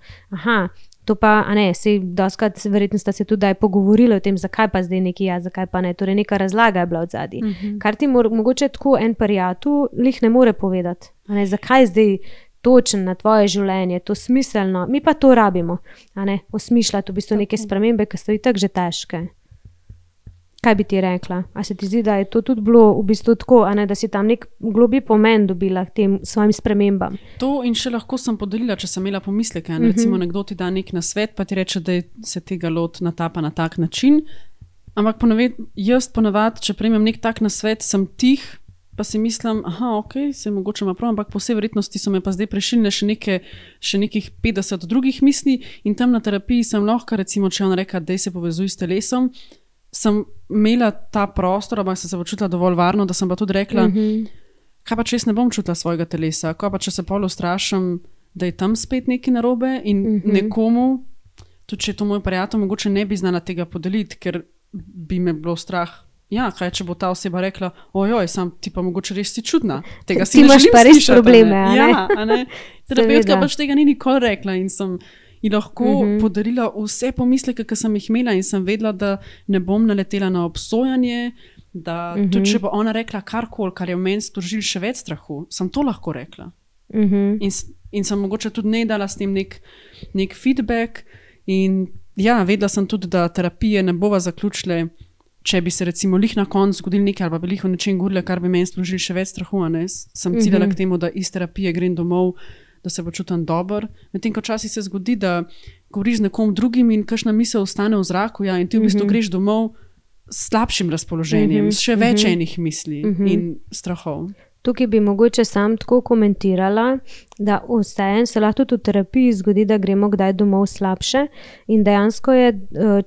Speaker 1: To pa, sej doskrat verjetno sta se tudi pogovorili o tem, zakaj pa zdaj nekaj zakaj pa ne, torej neka razlaga je bila odzadaj. Kar ti mogoče tako en prijatelj lih ne more povedati, zakaj zdaj točen na tvoje življenje, to smiselno, mi pa to rabimo, osmišljati v bistvu neke spremembe, ki so itak že težke. Kaj bi ti rekla? A se ti zdi, da je to tudi bilo v bistvu tako, a ne, da si tam nek globlji pomen dobila k tem svojim spremembam?
Speaker 2: To in še lahko sem podelila, če sem imela pomisleke. Recimo nekdo ti da nek nasvet, pa ti reče, da se tega lot natapa na tak način. Ampak jaz ponavadi, če prejmem nek tak nasvet, sem tih, pa si mislim, ok, se mogoče ima prav, ampak po vsej verjetnosti so me pa zdaj prešilne še nekih 50 drugih misli in tam na terapiji sem lahko, recimo, če on reka, daj se povezuj s telesom, sem imela ta prostor, ampak sem se počutila dovolj varno, da sem pa tudi rekla, kaj pa če jaz ne bom čutila svojega telesa, kaj pa če se pol ustrašim, da je tam spet nekaj narobe in nekomu, tudi če je to moj prijatelj, mogoče ne bi znala tega podeliti, ker bi me bilo strah. Ja, kaj če bo ta oseba rekla, ojoj, sam ti pa mogoče res si čudna. Tega si ne želim slišati. Ti imaš pa res
Speaker 1: probleme, a ne?
Speaker 2: Ja, a ne? Terapeutka pač tega ni nikoli rekla in sem ji lahko podarila vse pomisleke, ki sem jih imela in sem vedela, da ne bom naletela na obsojanje, da tudi če bo ona rekla karkoli, kar je v meni sprožil še več strahu, sem to lahko rekla. In sem mogoče tudi ne dala s tem nek feedback in ja, vedela sem tudi, da terapije ne bova zaključile, če bi se recimo lih na koncu zgodil nekaj ali pa bi lih o nečem govorila, kar bi meni sprožil še več strahu, ne? Sem ciljala k temu, da iz terapije grem domov, da se počutim dobro. Medtem ko včasih se zgodi, da govoriš z nekom drugim in kakšna misel ostane v zraku, ja, in ti v bistvu greš domov s slabšim razpoloženjem, s še več enih misli in strahov.
Speaker 1: Tukaj bi mogoče sam tako komentirala, da vseeno se lahko tudi v terapiji zgodi, da gremo kdaj domov slabše in dejansko je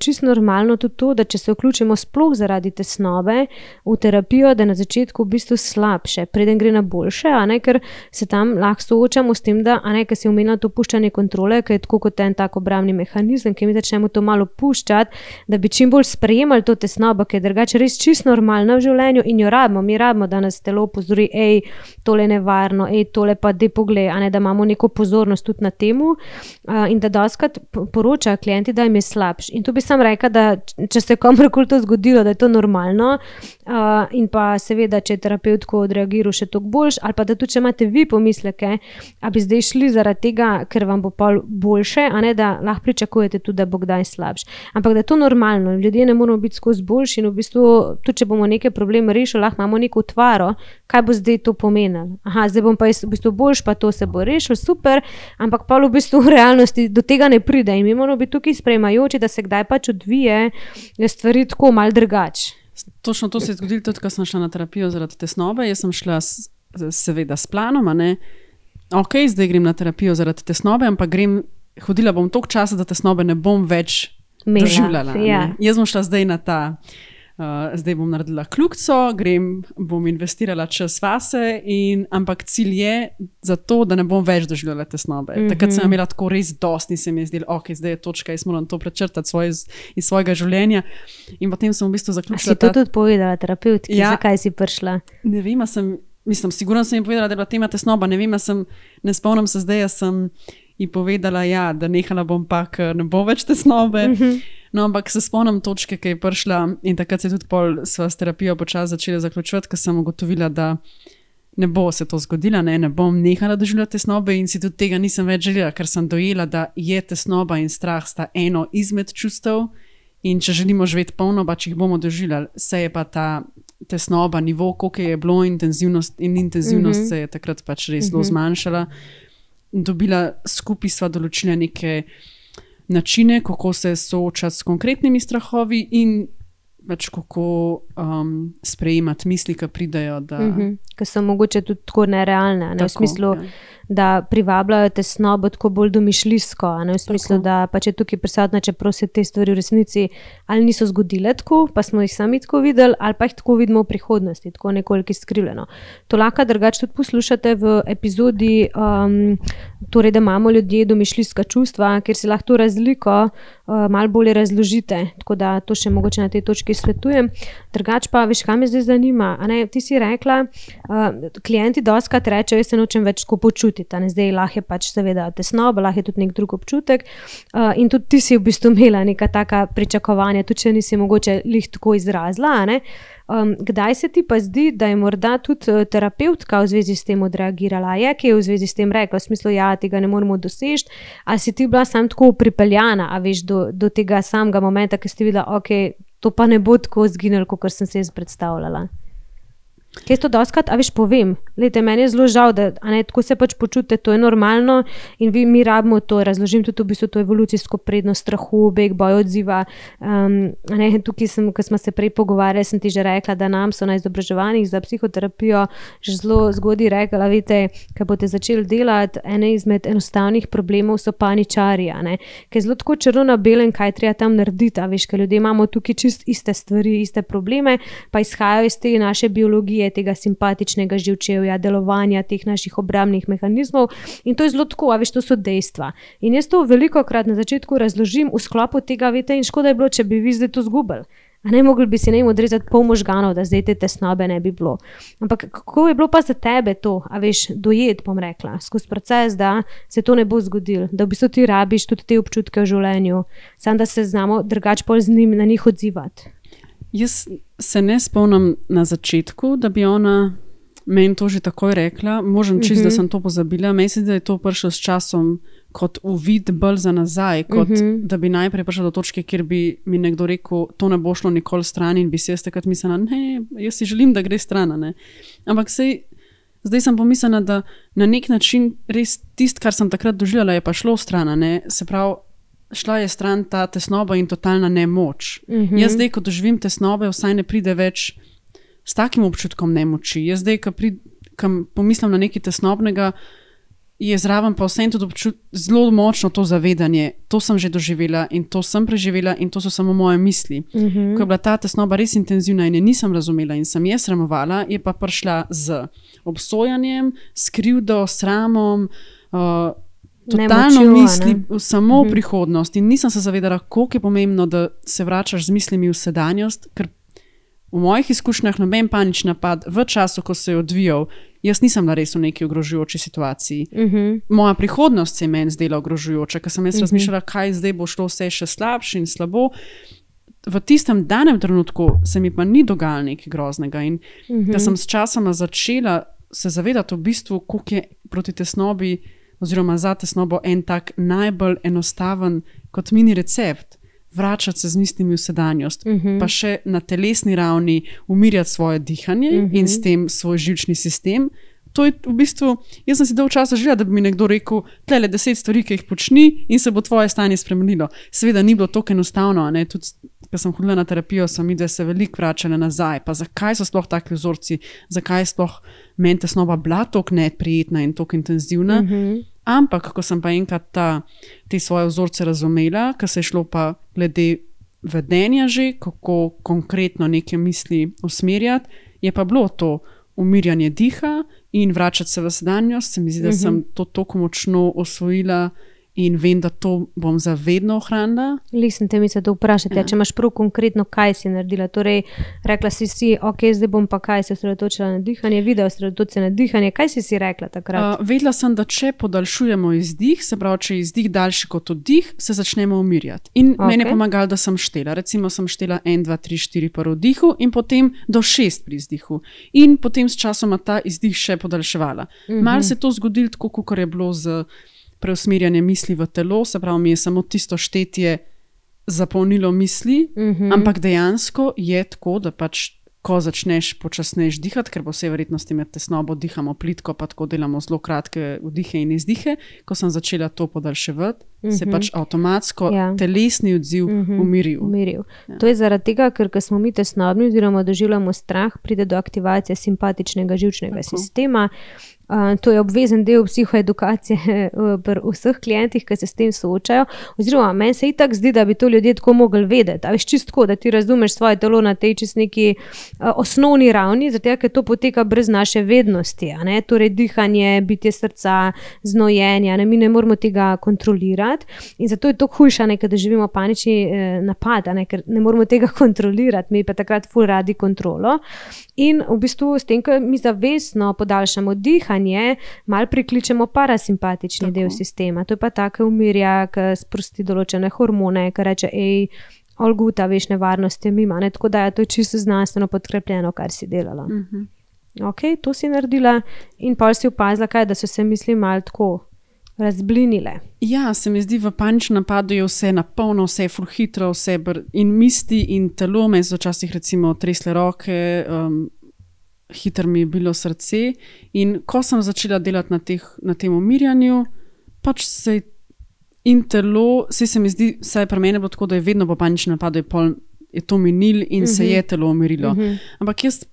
Speaker 1: čisto normalno tudi to, da če se vključimo sploh zaradi tesnobe v terapijo, da na začetku v bistvu slabše, preden gre na boljše, a ne, ker se tam lahko soočamo s tem, da, a ne, ker si omenila to puščanje kontrole, ker je tako kot en tak obrambni mehanizem, ker mi začnemo to malo puščati, da bi čim bolj sprejemali to tesnobo, ker je drugače res čisto normalna v življenju in jo rabimo, mi rabimo, da nas telo opozori, tole je nevarno, tole pa dej poglej, a ne, da imamo neko pozornost tudi na temu in da dostikrat poročajo klienti, da jim je slabš. In tu bi sam rekla, da če se komorkoli to zgodilo, da je to normalno in pa seveda, če je terapeut tako odreagiral še toliko boljš, ali pa da tudi, če imate vi pomisleke, a bi zdaj šli zaradi tega, ker vam bo pol boljše, a ne, da lahko pričakujete tudi, da bo kdaj slabš. Ampak da je to normalno, ljudje ne moramo biti skozi boljši in v bistvu, tudi če bomo neke probleme rešili, lahko imamo neko utvaro, kaj bo zdaj to pomenilo. Zdaj bom pa v bistvu boljš, pa to se bo rešil, super, ampak pa v bistvu v realnosti do tega ne pride in mi moramo biti tukaj sprejemajoči, da se kdaj pač odvije stvari tako malo drugače.
Speaker 2: Točno to se je zgodilo tudi, ko sem šla na terapijo zaradi tesnobe. Jaz sem šla seveda s planom, a ne. Ok, zdaj grem na terapijo zaradi tesnobe, ampak hodila bom toliko časa, da tesnobe ne bom več doživljala. Ja. Jaz bom šla zdaj na ta zdaj bom naredila kljukico, bom investirala čas vase, ampak cilj je za to, da ne bom več doživljala tesnobe. Takrat sem imela tako res dosti in se mi je zdelo, ok, zdaj je točka, jaz moram to prečrtati iz svojega življenja. In potem sem v bistvu zaključila.
Speaker 1: A si to tudi povedala terapeutki, zakaj si prišla?
Speaker 2: Ne vem, sigurno sem jim povedala, da je bila tema tesnoba, ne vem, ne spomnim se zdaj, sem ji povedala, ja, da nehala bom pa, ker ne bo več tesnobe. No, ampak se spomnim točke, ki je prišla in takrat se tudi pol sva s terapijo počasi začela zaključovati, ker sem ugotovila, da ne bo se to zgodila, ne bom nehala doživljati tesnobe in si tudi tega nisem več želela, ker sem dojela, da je tesnoba in strah sta eno izmed čustev in če želimo živeti polno, pač jih bomo doživljali. Se je pa ta tesnoba, nivo, koliko je bilo intenzivnost se je takrat pač res zelo zmanjšala. Dobila skupaj sva določila neke načine, kako se soočati s konkretnimi strahovi in pač kako sprejemati misli, ki pridejo.
Speaker 1: Ki so mogoče tudi tako nerealne, ne? Tako, v smislu, da privabljajo tesnobo tako bolj domišljijsko, v smislu, da pač je tukaj prisotna, čeprav se te stvari v resnici ali niso zgodile tako, pa smo jih sami tako videli, ali pa jih tako vidimo v prihodnosti, tako nekoliko skrivljeno. To lahko drugače tudi poslušate v epizodi, torej, da imamo ljudje domišljijska čustva, kjer si lahko to razliko malo bolje razložite, tako da to še mogoče na tej točki svetujem. Drugače pa, veš, kaj me zdaj zanima, a ne, ti si rekla, klienti dostikrat rečejo, jaz se nočem več tako počutiti, zdaj lahko je pač seveda tesnoba, lahko je tudi nek drug občutek in tudi ti si v bistvu imela neka taka pričakovanja, tudi če nisi mogoče lih tako izrazila, a ne. Kdaj se ti pa zdi, da je morda tudi terapevtka v zvezi s tem odreagirala? Je kaj v zvezi s tem rekla? V smislu, ja, tega ne moremo doseči, ali si ti bila sam tako pripeljana, a veš, do tega samega momenta, ki si videla, ok, to pa ne bo tako zginilo, kot sem se jaz predstavljala. Kaj to doskrat, a veš, povem. Lejte, meni je zelo žal, da tako se pač počutite, to je normalno in mi rabimo to, razložim tudi v bistvu to evolucijsko prednost strahu, beg, boj, odziva. Tukaj ko smo se prej pogovarjali, sem ti že rekla, da nam so na izobraževanjih za psihoterapijo že zelo zgodaj rekla, veste, ko boste začeli delati, ene izmed enostavnih problemov so paničarji, ker je zelo tako črno-belen, kaj treba tam narediti, a veš, ker ljudje imamo tukaj čist iste stvari, iste probleme, pa izhajajo iz te naše biologije, tega simpatičnega živčevja, delovanja teh naših obrambnih mehanizmov in to je zelo tako, a veš, to so dejstva. In jaz to velikokrat na začetku razložim v sklopu tega, veste, in škoda je bilo, če bi vi zdaj to zgubili. Mogli bi si odrezati pol možganov, da zdaj te tesnobe ne bi bilo. Ampak kako je bilo pa za tebe to, a veš, dojeti, bom rekla, skozi proces, da se to ne bo zgodilo, da v bistvu ti rabiš tudi te občutke v življenju, samo da se znamo drugače pol z njim na njih odzivati.
Speaker 2: Jaz se ne spomnim na začetku, da bi ona meni to že takoj rekla. Možem čist, da sem to pozabila. Mislim, da je to prišlo s časom kot uvid bolj za nazaj, kot da bi najprej prišla do točke, kjer bi mi nekdo rekel, to ne bo šlo nikoli stran in bi si jaz takrat mislila, ne, jaz si želim, da gre stran, ne. Ampak zdaj sem pomislila, da na nek način res tisto, kar sem takrat doživljala, je pa šlo stran, ne. Se pravi, šla je stran ta tesnoba in totalna nemoč. Jaz zdaj, ko doživim tesnobe, vsaj ne pride več s takim občutkom nemoči. Jaz zdaj, ko pomislim na nekaj tesnobnega, je zraven pa vsem tudi zelo močno to zavedanje. To sem že doživela in to sem preživela in to so samo moje misli. Ko je bila ta tesnoba res intenzivna in je nisem razumela in sem je sramovala, je pa prišla z obsojanjem, s krivdo, sramom, totalno misli samo v prihodnost in nisem se zavedala, koliko je pomembno, da se vračaš z mislimi v sedanjost, ker v mojih izkušnjah noben panični napad v času, ko se je odvijal, jaz nisem res v neki ogrožujoči situaciji. Moja prihodnost se je meni zdela ogrožujoča, ker sem jaz razmišljala, kaj zdaj bo šlo vse še slabše in slabo. V tistem danem trenutku se mi pa ni dogajalo nekaj groznega in da sem s časoma začela se zavedati v bistvu, koliko je proti tesnobi oziroma za tesnobo en tak najbolj enostaven kot mini recept, vračati se z mislimi v sedanjost, pa še na telesni ravni umirjati svoje dihanje in s tem svoj živčni sistem. To je v bistvu, jaz sem si dolgo časa želela, da bi mi nekdo rekel, tlele 10 stvari, ki jih počni in se bo tvoje stanje spremenilo. Seveda ni bilo tako enostavno, ne? Tudi, ko sem hodila na terapijo, sem videla se veliko vračala nazaj, pa zakaj so sploh taki vzorci, zakaj je sploh meni tesnoba bila tako neprijetna in tako intenzivna. Ampak, ko sem pa enkrat te svoje vzorce razumela, ko se je šlo pa glede vedenja že, kako konkretno neke misli usmerjati, je pa bilo to umirjanje diha in vračati se v sedanjost. Se mi zdi, da sem to toliko močno osvojila in vem, da to bom za vedno ohranila.
Speaker 1: Sem te mislila, da vprašati, če imaš prav konkretno, kaj si naredila. Torej, rekla si, ok, zdaj bom pa kaj se osredotočila na dihanje, video osredotočila na dihanje. Kaj si rekla takrat?
Speaker 2: Vedela sem, da če podaljšujemo izdih, se pravi, če je izdih daljši kot oddih, se začnemo umirjati. In meni je pomagalo, da sem štela. Recimo sem štela 1, 2, 3, 4 pri vdihu in potem do 6 pri izdihu. In potem s časoma ta izdih še podaljševala. Malo se to zgodilo tako, kot je bilo z preusmerjanje misli v telo, se pravi, mi je samo tisto štetje zapolnilo misli, ampak dejansko je tako, da pač, ko začneš počasneje dihati, ker po vsej verjetnosti med tesnobo dihamo plitko, pa tako delamo zelo kratke vdihe in izdihe, ko sem začela to podaljševati, se pač avtomatsko telesni odziv umiril.
Speaker 1: Ja. To je zaradi tega, ker ko smo mi tesnobni oziroma doživljamo strah, pride do aktivacije simpatičnega živčnega sistema. To je obvezen del psihoedukacije pri vseh klientih, ki se s tem soočajo. Oziroma, meni se itak zdi, da bi to ljudje tako mogli vedeti. A veš, čisto tako, da ti razumeš svoje telo na tej čist neki osnovni ravni, zato ker to poteka brez naše vednosti. Torej, dihanje, bitje srca, znojenje, mi ne moramo tega kontrolirati. In zato je to hujše, ker da živimo panični napad, ker ne moramo tega kontrolirati, mi pa takrat ful radi kontrolo. In v bistvu s tem, ko mi zavestno podaljšamo dihanje, malo prikličemo parasimpatični del sistema. To je pa tako umirja, ki sprosti določene hormone, ki reče, Olguta, veš, nevarnost je mima, ne? Tako da je to čisto znanstveno podkrepljeno, kar si delala. Ok, to si naredila in pol si opazila, kaj, da so se misli malo tako razblinile.
Speaker 2: Ja, se mi zdi, v paničnem napadu je vse napolno, vse je ful hitro, in misli in telo, me so včasih recimo tresle roke, hitro mi je bilo srce in ko sem začela delati na tem umirjanju, pač se in telo, se mi zdi, saj pri meni bilo tako, da je vedno po paničnem napadu je to minil in se je telo umirilo. Ampak jaz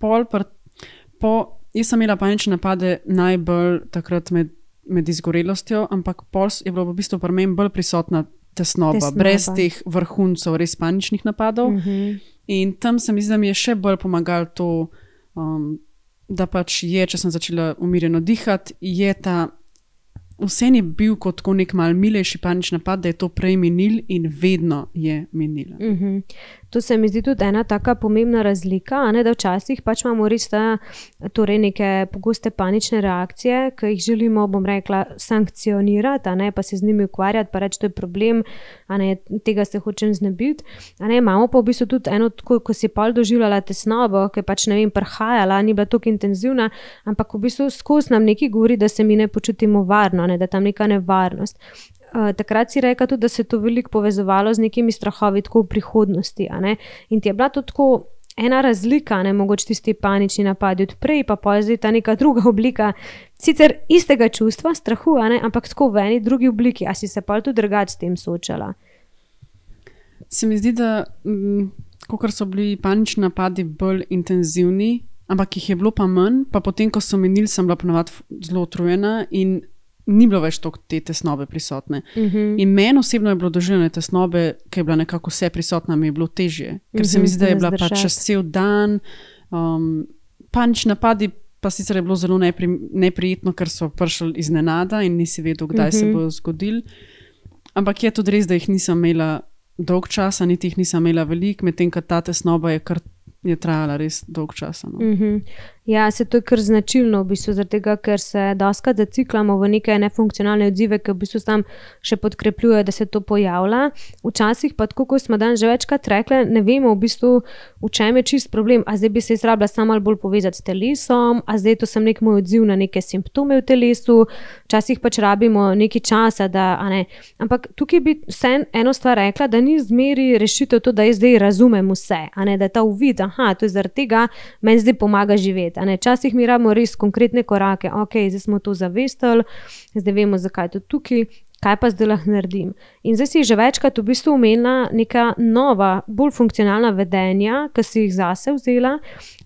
Speaker 2: sem imela panične napade najbolj takrat med izgorelostjo, ampak pol je bilo v bistvu pri meni bolj prisotna tesnoba, brez teh vrhuncev res paničnih napadov. In tam se mi zdi, da mi je še bolj pomagalo to, da pač je, če sem začela umirjeno dihati, je ta vse je bil kot nek mal milejši panični napad, da je to prej minil in vedno je minilo.
Speaker 1: To se mi zdi tudi ena taka pomembna razlika, a ne, da včasih pač imamo res torej neke pogoste panične reakcije, ki jih želimo, bom rekla, sankcionirati, a ne, pa se z njimi ukvarjati, pa reči, to je problem, a ne, tega se hočem znebiti. A ne, imamo pa v bistvu tudi eno, ko si pol doživljala tesnobo, ki je pač, ne vem, prihajala, ni bila toliko intenzivna, ampak v bistvu skozi nam nekaj govori, da se mi ne počutimo varno, ne, da tam neka nevarnost. Takrat si rekla tudi, da se je to veliko povezovalo z nekimi strahovi tako v prihodnosti, a ne? In ti je bila to tako ena razlika, ne, mogoče tisti panični napadi od prej, pa zdaj ta neka druga oblika, sicer istega čustva, strahu, a ne, ampak tako v eni drugi obliki. A si se pol tudi drugače s tem soočala?
Speaker 2: Se mi zdi, da kakor so bili panični napadi bolj intenzivni, ampak jih je bilo pa manj, pa potem, ko so minili, sem bila ponavadi zelo utrujena in ni bilo več toliko te tesnobe prisotne. In meni osebno je bilo doživljanje tesnobe, ki je bila nekako vse prisotna, mi je bilo težje. Ker se mi zdi, da je bila pač čez cel dan. Panični napadi pa sicer je bilo zelo neprijetno, ker so prišli iznenada in nisi vedel, kdaj se bodo zgodili. Ampak je tudi res, da jih nisem imela dolg časa, niti jih nisem imela veliko, medtem ko ta tesnoba je trajala res dolg časa.
Speaker 1: Ja, to je kar značilno v bistvu, zaradi tega, ker se dostikrat zaciklamo v neke nefunkcionalne odzive, ki v bistvu tam še podkrepljujejo, da se to pojavlja. Včasih pa tako, kot smo danes že večkrat rekli, ne vemo v bistvu, v čem je čist problem. A zdaj bi se rabila samo bolj povezati s telesom, a zdaj to sem nek moj odziv na neke simptome v telesu, včasih pač rabimo nekaj časa, da, a ne. Ampak tukaj bi vse eno stvar rekla, da ni zmeri rešitev to, da jaz zdaj razumem vse, a ne, da ta uvid, to je zaradi tega, meni zdaj pomaga živeti. Včasih mi rabimo res konkretne korake, ok, zdaj smo to zavestili, zdaj vemo, zakaj je to tukaj, kaj pa zdaj lahko naredim. In zdaj si že večkrat v bistvu omenila neka nova, bolj funkcionalna vedenja, ki si jih zase vzela.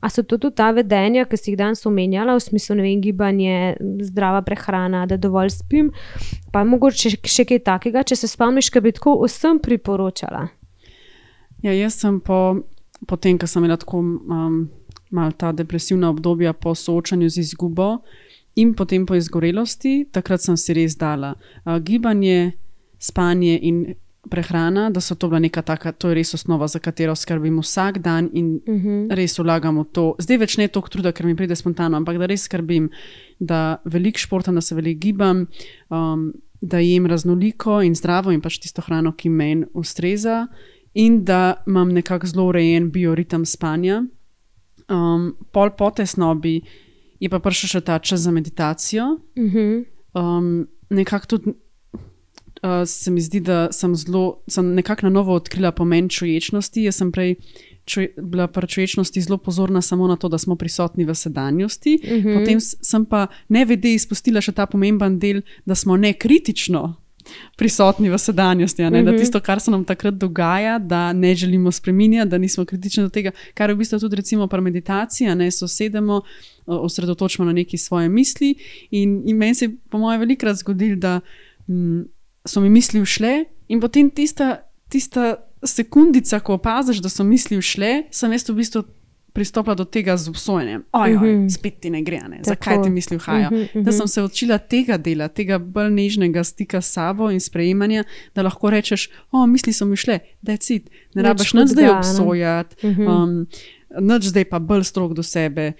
Speaker 1: A so to tudi ta vedenja, ki si jih danes omenjala, v smislu, ne vem, gibanje, zdrava prehrana, da dovolj spim, pa mogoče še kaj takega, če se spomniš, kaj bi tako vsem priporočala?
Speaker 2: Ja, jaz sem po tem, ko sem imela tako malo ta depresivna obdobja po soočanju z izgubo in potem po izgorelosti, takrat sem si res dala gibanje, spanje in prehrana, da so to bila neka taka, to je res osnova, za katero skrbim vsak dan in res vlagam v to. Zdaj več ne toliko truda, ker mi pride spontano, ampak da res skrbim, da veliko športam, da se veliko gibam, da jem raznoliko in zdravo in pač tisto hrano, ki meni ustreza in da imam nekako zelo urejen bioritem spanja. Pol po tesnobi je pa prišel še ta čas za meditacijo. Nekako tudi se mi zdi, da sem nekako na novo odkrila pomen čuječnosti. Jaz sem prej bila pri čuječnosti zelo pozorna samo na to, da smo prisotni v sedanjosti. Potem sem pa nevede izpustila še ta pomemben del, da smo nekritično prisotni v sedanjosti, da tisto, kar se nam takrat dogaja, da ne želimo spreminjati, da nismo kritični do tega, kar je v bistvu tudi recimo pri meditaciji, sosedemo, osredotočimo na neki svoje misli in meni se je po moje velikokrat zgodilo, da so mi misli ušle in potem tista sekundica, ko opaziš, da so misli ušle, sem jaz v bistvu pristopila do tega z obsojenjem. Spet ti ne gre, zakaj ti misli uhajajo. Da sem se učila tega dela, tega bolj nežnega stika s sabo in sprejemanja, da lahko rečeš, misli so mi šle, that's it. Ne rabiš nič zdaj obsojati, nič zdaj pa bolj strog do sebe.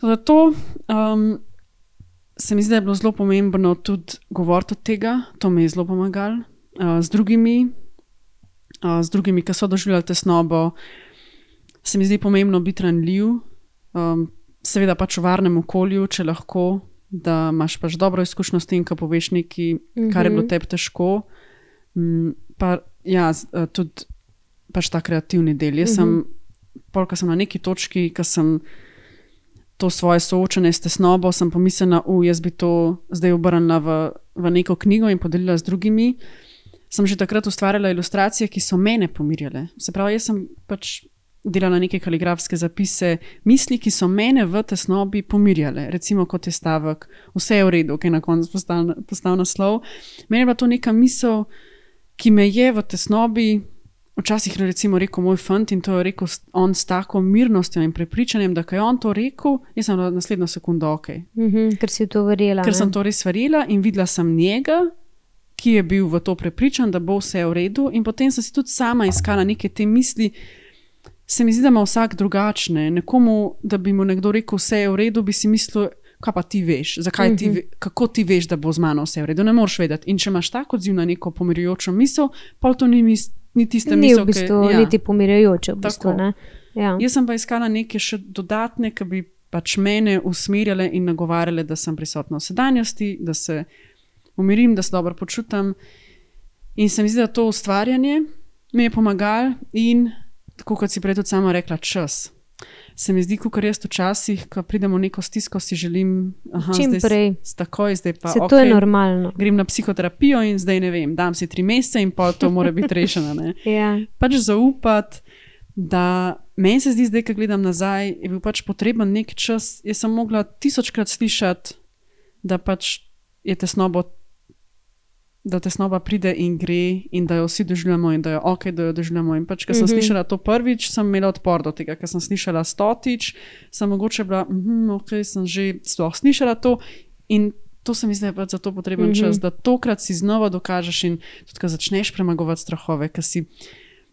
Speaker 2: Zato se mi zdi, da je bilo zelo pomembno tudi govoriti od tega, to mi je zelo pomagalo z drugimi. z drugimi, ki so doživljali tesnobo, se mi zdi pomembno biti ranljiv, seveda pač v varnem okolju, če lahko, da imaš pač dobro izkušnjo s tem, ko poveš nekaj, kar je bilo tebi težko. Pa ja, tudi pač ta kreativni del. Jaz sem, ko sem na neki točki, ko sem to svoje soočanje s tesnobo, sem pomislila, jaz bi to zdaj obrnila v neko knjigo in podelila z drugimi. Sem že takrat ustvarjala ilustracije, ki so mene pomirjale. Se pravi, jaz sem pač delala neke kaligrafske zapise, misli, ki so mene v tesnobi pomirjale. Recimo, kot je stavek, vse je v redu, ki je na koncu postal naslov. Meni je bila to neka misel, ki me je v tesnobi včasih recimo rekel moj fant in to je rekel on s tako mirnostjo in prepričanjem, da kaj on to rekel, jaz sem na naslednjo sekundo ok.
Speaker 1: Ker si to verjela.
Speaker 2: Ker sem to res verjela in videla sem njega, ki je bil v to prepričan, da bo vse v redu in potem sem si tudi sama iskala neke te misli. Se mi zdi, da ima vsak drugačne. Nekomu, da bi mu nekdo rekel vse je v redu, bi si mislil, kaj pa ti veš, kako ti veš, da bo z mano vse v redu, ne moreš vedeti. In če imaš tak odziv na neko pomirjujočo misel, pa to ni tista misel,
Speaker 1: ni v bistvu niti pomirjujoče v bistvu, ne? Ja.
Speaker 2: Jaz sem pa iskala neke še dodatne, ki bi pač mene usmerjale in nagovarjale, da sem prisotna v sedanjosti, da se umirim, da se dobro počutam. In se mi zdi, da to ustvarjanje mi je pomagalo in tako kot si prej tudi sama rekla, čas. Se mi zdi, kakor jaz včasih, ko pridemo v neko stisko, si želim,
Speaker 1: čim prej.
Speaker 2: Zdaj pa
Speaker 1: se to je normalno.
Speaker 2: Grem na psihoterapijo in zdaj ne vem, dam si 3 mesece in pol to mora biti rešeno. Ne?
Speaker 1: Ja.
Speaker 2: Pač zaupati, da meni se zdi zdaj, ko gledam nazaj, je bil pač potreben nek čas. Jaz sem mogla 1000krat slišati, da pač je tesnoba pride in gre in da jo vsi doživljamo in da jo ok, da jo doživljamo. In pač, ko sem slišala to prvič, sem imela odpor do tega. Ko sem slišala 100-tič, sem mogoče bila, ok, sem že sploh slišala to in to se mi zdi, da je pač za to potreben čas, da tokrat si znova dokažeš in tudi, ko začneš premagovati strahove, ko si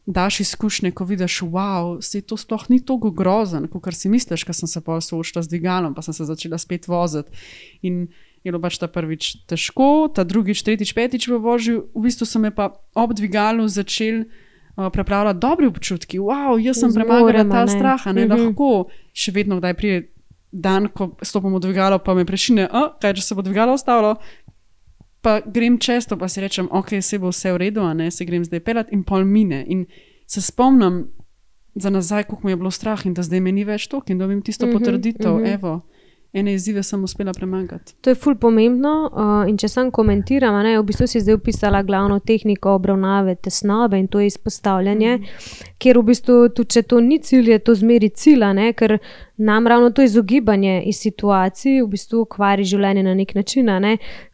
Speaker 2: daš izkušnje, ko vidiš, wow, se to sploh ni toliko grozen, kot si misliš, ko sem se pol soočila z dvigalom, pa sem se začela spet voziti. In je bilo pač ta prvič težko, ta drugič, tretjič, petič v vožnju, v bistvu so me pa ob dvigalu začeli prepravljati dobri občutki. Wow, jaz sem premagala ta strah, ne lahko. Še vedno kdaj pride dan, ko stopim v dvigalo, pa me prešine, kaj, če se bo dvigalo ostalo, pa grem često, pa si rečem, ok, se bo vse v redu, a ne, se grem zdaj pelat in pol mine. In se spomnim za nazaj, koliko mi je bilo strah in da zdaj me ni več toliko in dobim tisto potrditev, evo. Ene izzive sem uspela premagati.
Speaker 1: To je ful pomembno in če sam komentiram, v bistvu si zdaj opisala glavno tehniko obravnave tesnobe in to je izpostavljanje, kjer v bistvu tudi če to ni cilj, je to zmeri cilj, ker nam ravno to izogibanje iz situacij v bistvu kvari življenje na nek način,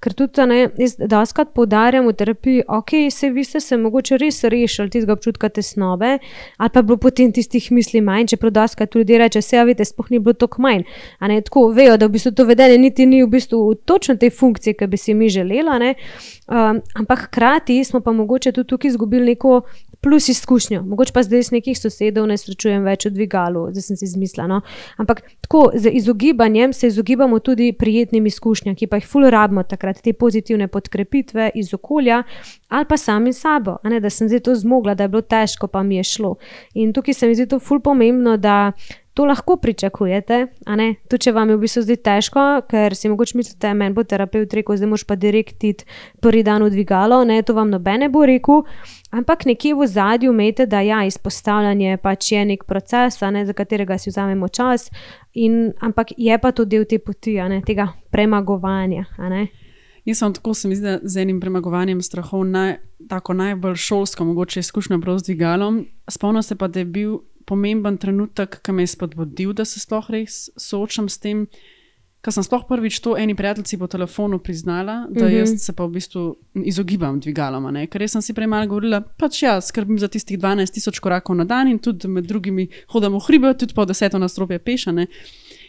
Speaker 1: ker tudi jaz dostikrat poudarjam v terapiji, ok, vi ste se mogoče res rešili tistega občutka tesnobe ali pa bilo potem tistih misli manj, čeprav dostikrat ljudje reče, vidite, sploh ni bilo toliko manj, tako vejo, da v bistvu to vedenje niti ni v bistvu v točno tej funkciji, ki bi si mi želela, ampak hkrati smo pa mogoče tudi tukaj izgubili neko plus izkušnjo. Mogoče pa zdaj z nekih sosedov ne srečujem več v dvigalu, zdaj sem si izmislila, Ampak tako, z izogibanjem se izogibamo tudi prijetnim izkušnjam, ki pa jih ful rabimo takrat, te pozitivne podkrepitve iz okolja ali pa sami sabo, da sem zdaj to zmogla, da je bilo težko, pa mi je šlo. In tukaj se mi zdi to ful pomembno, da to lahko pričakujete, tudi če vam je v bistvu zdaj težko, ker si mogoče mislite, meni bo terapevt rekel, zdaj moraš pa direkt iti prvi dan v dvigalo, to vam noben ne bo rekel, ampak nekje v ozadju imejte, da izpostavljanje pač je nek proces, za katerega si vzamemo čas, ampak je pa to del te poti, tega premagovanja.
Speaker 2: Jaz sem tako, se mi zdi, z enim premagovanjem strahov tako najbolj šolsko, mogoče izkušnja prav z dvigalom. Spomnim se pa, da je bil pomemben trenutek, ki me je spodbudil, da se sploh res soočam s tem, ker sem sploh prvič to eni prijateljici po telefonu priznala, da jaz se pa v bistvu izogibam dvigalom, ker jaz sem si prej malo govorila, pač skrbim za tistih 12,000 korakov na dan in tudi med drugimi hodam v hribe, tudi po 10 nadstropje peša,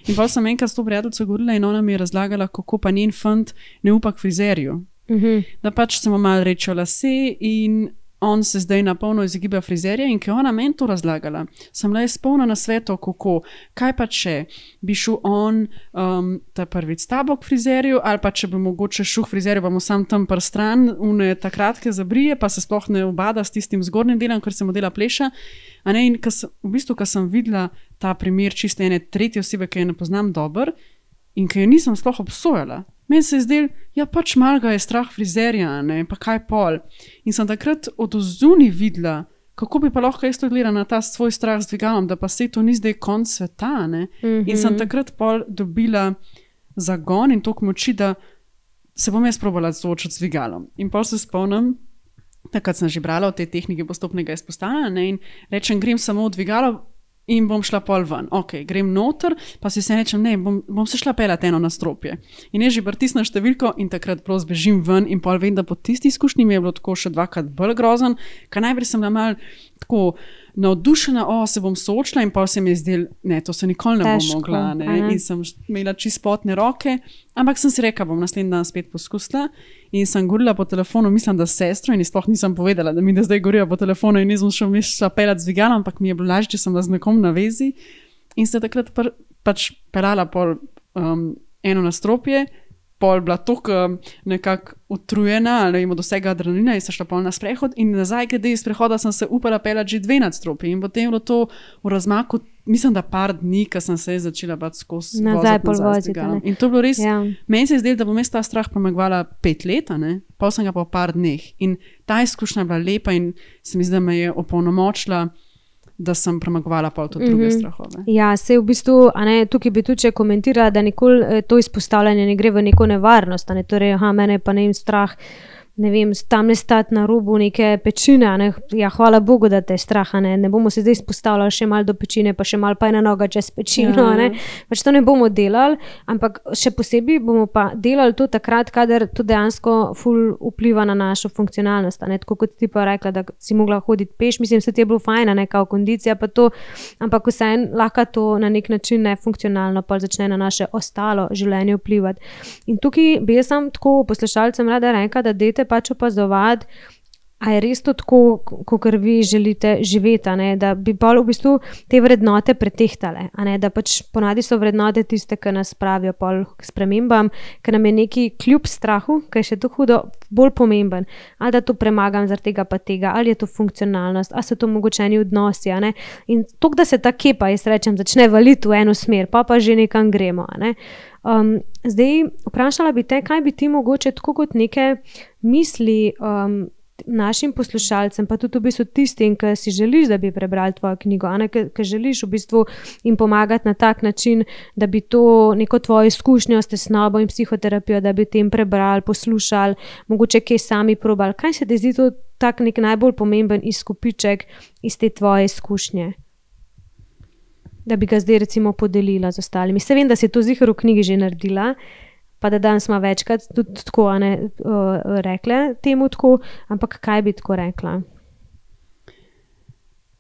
Speaker 2: In pa sem enkrat s to prijateljico govorila in ona mi je razlagala, kako pa njen fant ne upa k frizerju. Da pač se mu malo rečejo lase in on se zdaj na polno izogiba frizerja in ko je ona meni to razlagala, sem le spolna na svetu, kako, kaj pa če bi šel on ta prvič s tabo k frizerju ali pa če bi mogoče šel k frizerju, pa mu sam tam prstran, ta kratke zabrije, pa se sploh ne obada s tistim zgornjim delom, ker se mu dela pleša. A ne, in v bistvu, ko sem videla ta primer čiste ene tretje osebe, ki je ne poznam dobro in ki jo nisem sploh obsojala, meni se je zdelo, ja pač malo ga je strah frizerja, ne, pa kaj pol. In sem takrat od odzuni videla, kako bi pa lahko jaz to gledala na ta svoj strah z dvigalom, da pa se to ni zdaj konc sveta, ne. In sem takrat pol dobila zagon in toliko moči, da se bom jaz probala soočiti z dvigalom. In pol se spomnim, takrat sem že brala o tej tehniki postopnega izpostavljanja, ne, in rečem, grem samo v dvigalo in bom šla pol ven. Ok, grem noter, pa si se rečem, ne, bom se šla pelat eno nastropje. In jaz že pritisnem številko in takrat prav zbežim ven in pol vem, da po tisti izkušnji mi je bilo tako še dvakrat bolj grozen, ker najprej sem bila malo tako navdušena, se bom soočila in pol se mi je zdel, ne, to se nikoli ne bom mogla, ne, in sem imela čisto potne roke, ampak sem si rekla, bom naslednji dan spet poskusila in sem govorila po telefonu, mislim, da s sestro in sploh nisem povedala, da mi da zdaj govorijo po telefonu in nisem šla pelat z dvigalom, ampak mi je bilo lažje, če sem bila z nekom na vezi in se takrat pač pelala pol eno nastropje, pol bila toliko nekako utrujena ali ima do vsega adrenalina in se šla pol na sprehod in nazaj, glede iz prehoda sem se upala pelati že 2 nadstropji in potem je bilo to v razmaku, mislim, da par dni, ko sem se začela skozi
Speaker 1: nazaj voziti.
Speaker 2: In to je bilo res, meni se je zdelo, da bom jaz ta strah premagovala 5 let, pol sem ga pa v par dneh in ta izkušnja je bila lepa in se mi zdi, da me je opolnomočila, da sem premagovala pol tudi druge strahove.
Speaker 1: Ja, sej v bistvu, tukaj bi tudi če komentirala, da nikoli to izpostavljanje ne gre v neko nevarnost, torej, mene pa ne vem strah, ne vem, tam ne stati na robu neke pečine, ja, hvala Bogu, da te je strah, ne bomo se zdaj izpostavljali še malo do pečine, pa še malo pa ena noga čez pečino, pač to ne bomo delali, ampak še posebej bomo pa delali to takrat, kadar to dejansko ful vpliva na našo funkcionalnost, tako kot ti pa rekla, da si mogla hoditi peš, mislim, se ti je bilo fajn, kao kondicija pa to, ampak vseeno lahko to na nek način nefunkcionalno pa začne na naše ostalo življenje vplivati. In tukaj bi jaz sam tako poslušalcem rada rekla, da dajte pač opazovati, a je res to tako, kakor vi želite živeti, da bi pa v bistvu te vrednote pretehtale, da pač ponavadi so vrednote tiste, ki nas pravijo pol k spremembam, ker nam je neki kljub strahu, ki je še to hudo, bolj pomemben, ali da to premagam zaradi tega pa tega, ali je to funkcionalnost, ali so to mogočeni odnosi, in tok, da se ta kepa, jaz rečem, začne valiti v eno smer, pa že nekam gremo, zdaj vprašala bi te, kaj bi ti mogoče tako kot neke misli našim poslušalcem, pa tudi v bistvu tistim, ki si želiš, da bi prebrali tvojo knjigo, ki želiš v bistvu jim pomagati na tak način, da bi to neko tvojo izkušnjo s tesnobo in psihoterapijo, da bi tem prebrali, poslušali, mogoče kaj sami probali. Kaj se ti zdi to tak nek najbolj pomemben izkupiček iz te tvoje izkušnje? Da bi ga zdaj recimo podelila z ostalimi. Se vem, da si to ziher v knjigi že naredila, pa da danes smo večkrat tudi tako rekle temu tako, ampak kaj bi tako rekla?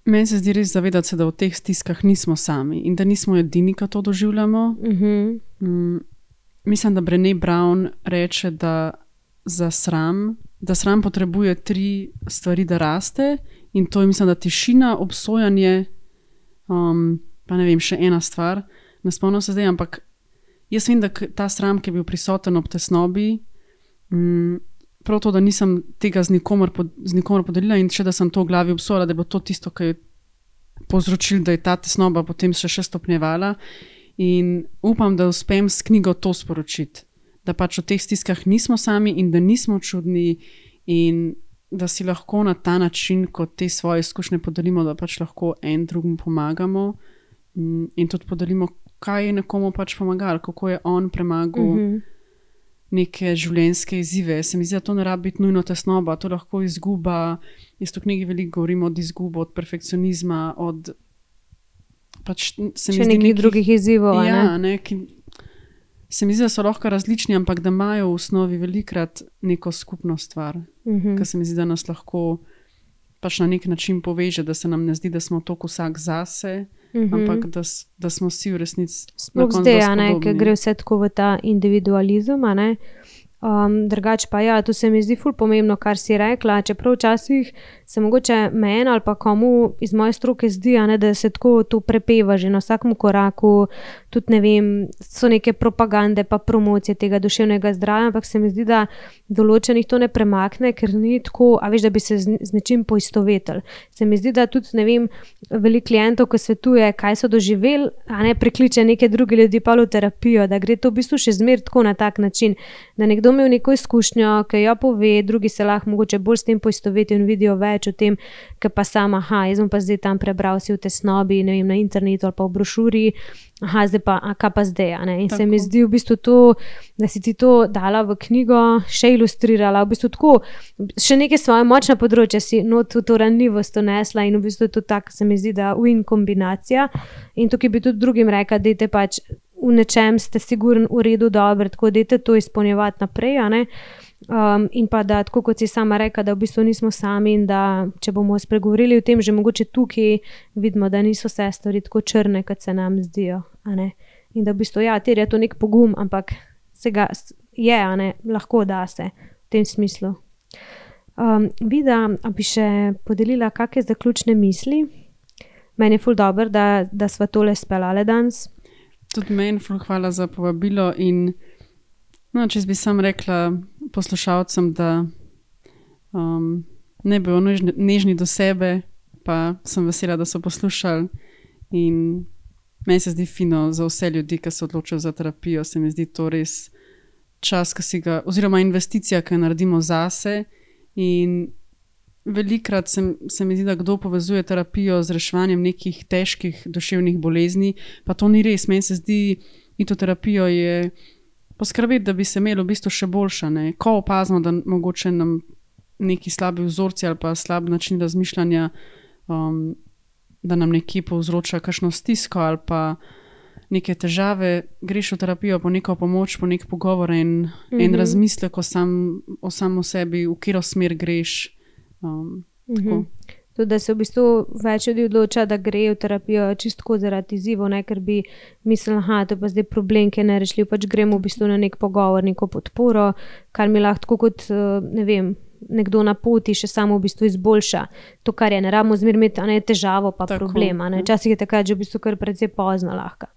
Speaker 2: Meni se zdi res zavedati se, da v teh stiskah nismo sami in da nismo edini, ki to doživljamo. Mislim, da Brené Brown reče, da sram potrebuje 3 stvari, da raste in to je, mislim, da tišina, obsojanje, pa ne vem, še ena stvar, ne spomnim se zdaj, ampak jaz vem, da ta sram, ki je bil prisoten ob tesnobi, prav to, da nisem tega z nikomer podelila in še da sem to v glavi obsojala, da je bilo to tisto, ki je povzročilo, da je ta tesnoba potem še stopnjevala in upam, da uspem s knjigo to sporočiti, da pač v teh stiskah nismo sami in da nismo čudni in da si lahko na ta način, ko te svoje izkušnje podelimo, da pač lahko en drugim pomagamo in tudi podelimo, kaj je nekomu pač pomagalo, kako je on premagal neke življenjske izzive. Se mi zdi, da to ne rabi biti nujno tesnoba, to lahko izguba. Jaz v knjigi veliko govorim od izgube, od perfekcionizma, od pač se mi zdi
Speaker 1: nekih drugih izzivov.
Speaker 2: Ja, se mi zdi, da so lahko različni, ampak da imajo v osnovi velikrat neko skupno stvar, ker se mi zdi, da nas lahko pač na nek način poveže, da se nam ne zdi, da smo toliko vsak zase, ampak da smo vsi v resnici na koncu podobni.
Speaker 1: Ker gre vse tako v ta individualizem, drugače pa ja, to se mi zdi ful pomembno, kar si rekla, čeprav včasih se mogoče meni ali pa komu iz moje stroke zdi, da se tako to prepeva že na vsakem koraku, tudi ne vem, so neke propagande pa promocije tega duševnega zdravja, ampak se mi zdi, da določenih to ne premakne, ker ni tako, a veš, da bi se z nečim poistovetili. Se mi zdi, da tudi, ne vem, veliko klientov, ko svetuje, kaj so doživeli, prekliče neke druge ljudi pa v terapijo, da gre to v bistvu še zmer tako na tak način, da nekdo imel neko izkušnjo, ki jo pove, drugi se lahko mogoče bolj s tem poistovetijo in vidijo več o tem, ker pa sama, jaz bom pa zdaj tam prebral si v tesnobi, ne vem, na internetu ali pa v brošuri, zdaj pa, kaj pa zdaj, In tako. Se mi zdi v bistvu to, da si ti to dala v knjigo, še ilustrirala, v bistvu tako, še neke svoje močne področje si not v to ranljivost nesla in v bistvu to tako se mi zdi, da win kombinacija in tukaj bi tudi drugim rekla, dajte pač v nečem ste sigurno v redu dobro, tako dajte to izpolnjevati naprej, in pa da, tako kot si sama rekla, da v bistvu nismo sami in da če bomo spregovorili o tem, že mogoče tukaj vidimo, da niso vse stvari tako črne, kot se nam zdijo, in da v bistvu, terja to nek pogum, ampak se ga je, lahko da se v tem smislu. Vida, a bi še podelila kakšne zaključne misli? Meni je ful dobro, da sva tole speljale danes.
Speaker 2: Tudi meni ful hvala za povabilo in če bi sam rekla poslušalcem, da ne bi nežni do sebe, pa sem vesela, da so poslušali in meni se zdi fino za vse ljudi, ki se odločajo za terapijo, se mi zdi to res čas, ki si ga, oziroma investicija, ki jo naredimo zase in velikrat se mi zdi, da kdo povezuje terapijo z reševanjem nekih težkih duševnih bolezni, pa to ni res. Meni se zdi, ito terapijo je poskrbeti, da bi se imeli v bistvu še boljša. Ko opazimo, da mogoče nam neki slabi vzorci ali pa slab način razmišljanja, da nam nekje povzroča kakšno stisko ali pa neke težave, greš v terapijo po neko pomoč, po nek pogovor in en razmislek o samo sebi, v katero smer greš. Tako.
Speaker 1: Tudi, da se v bistvu več ljudi odloča, da gre v terapijo čistko zaradi izzivov, ker bi mislili, to je pa zdaj problem, ki je nerešljiv, pač gremo v bistvu na nek pogovor, neko podporo, kar mi lahko tako kot, ne vem, nekdo na poti še samo v bistvu izboljša. To, kar je, ne rabimo zmer imeti težavo pa tako, problem. Včasih je takrat že v bistvu kar precej pozno lahko.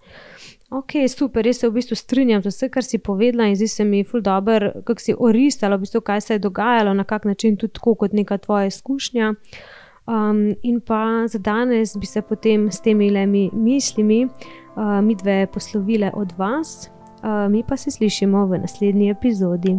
Speaker 1: Ok, super, jaz se v bistvu strinjam z vse, kar si povedala in zdi se mi ful dobro, kako si orisala v bistvu, kaj se je dogajalo, na kak način tudi tako kot neka tvoja izkušnja. In pa za danes bi se potem s temi mislimi midve poslovile od vas, mi pa se slišimo v naslednji epizodi.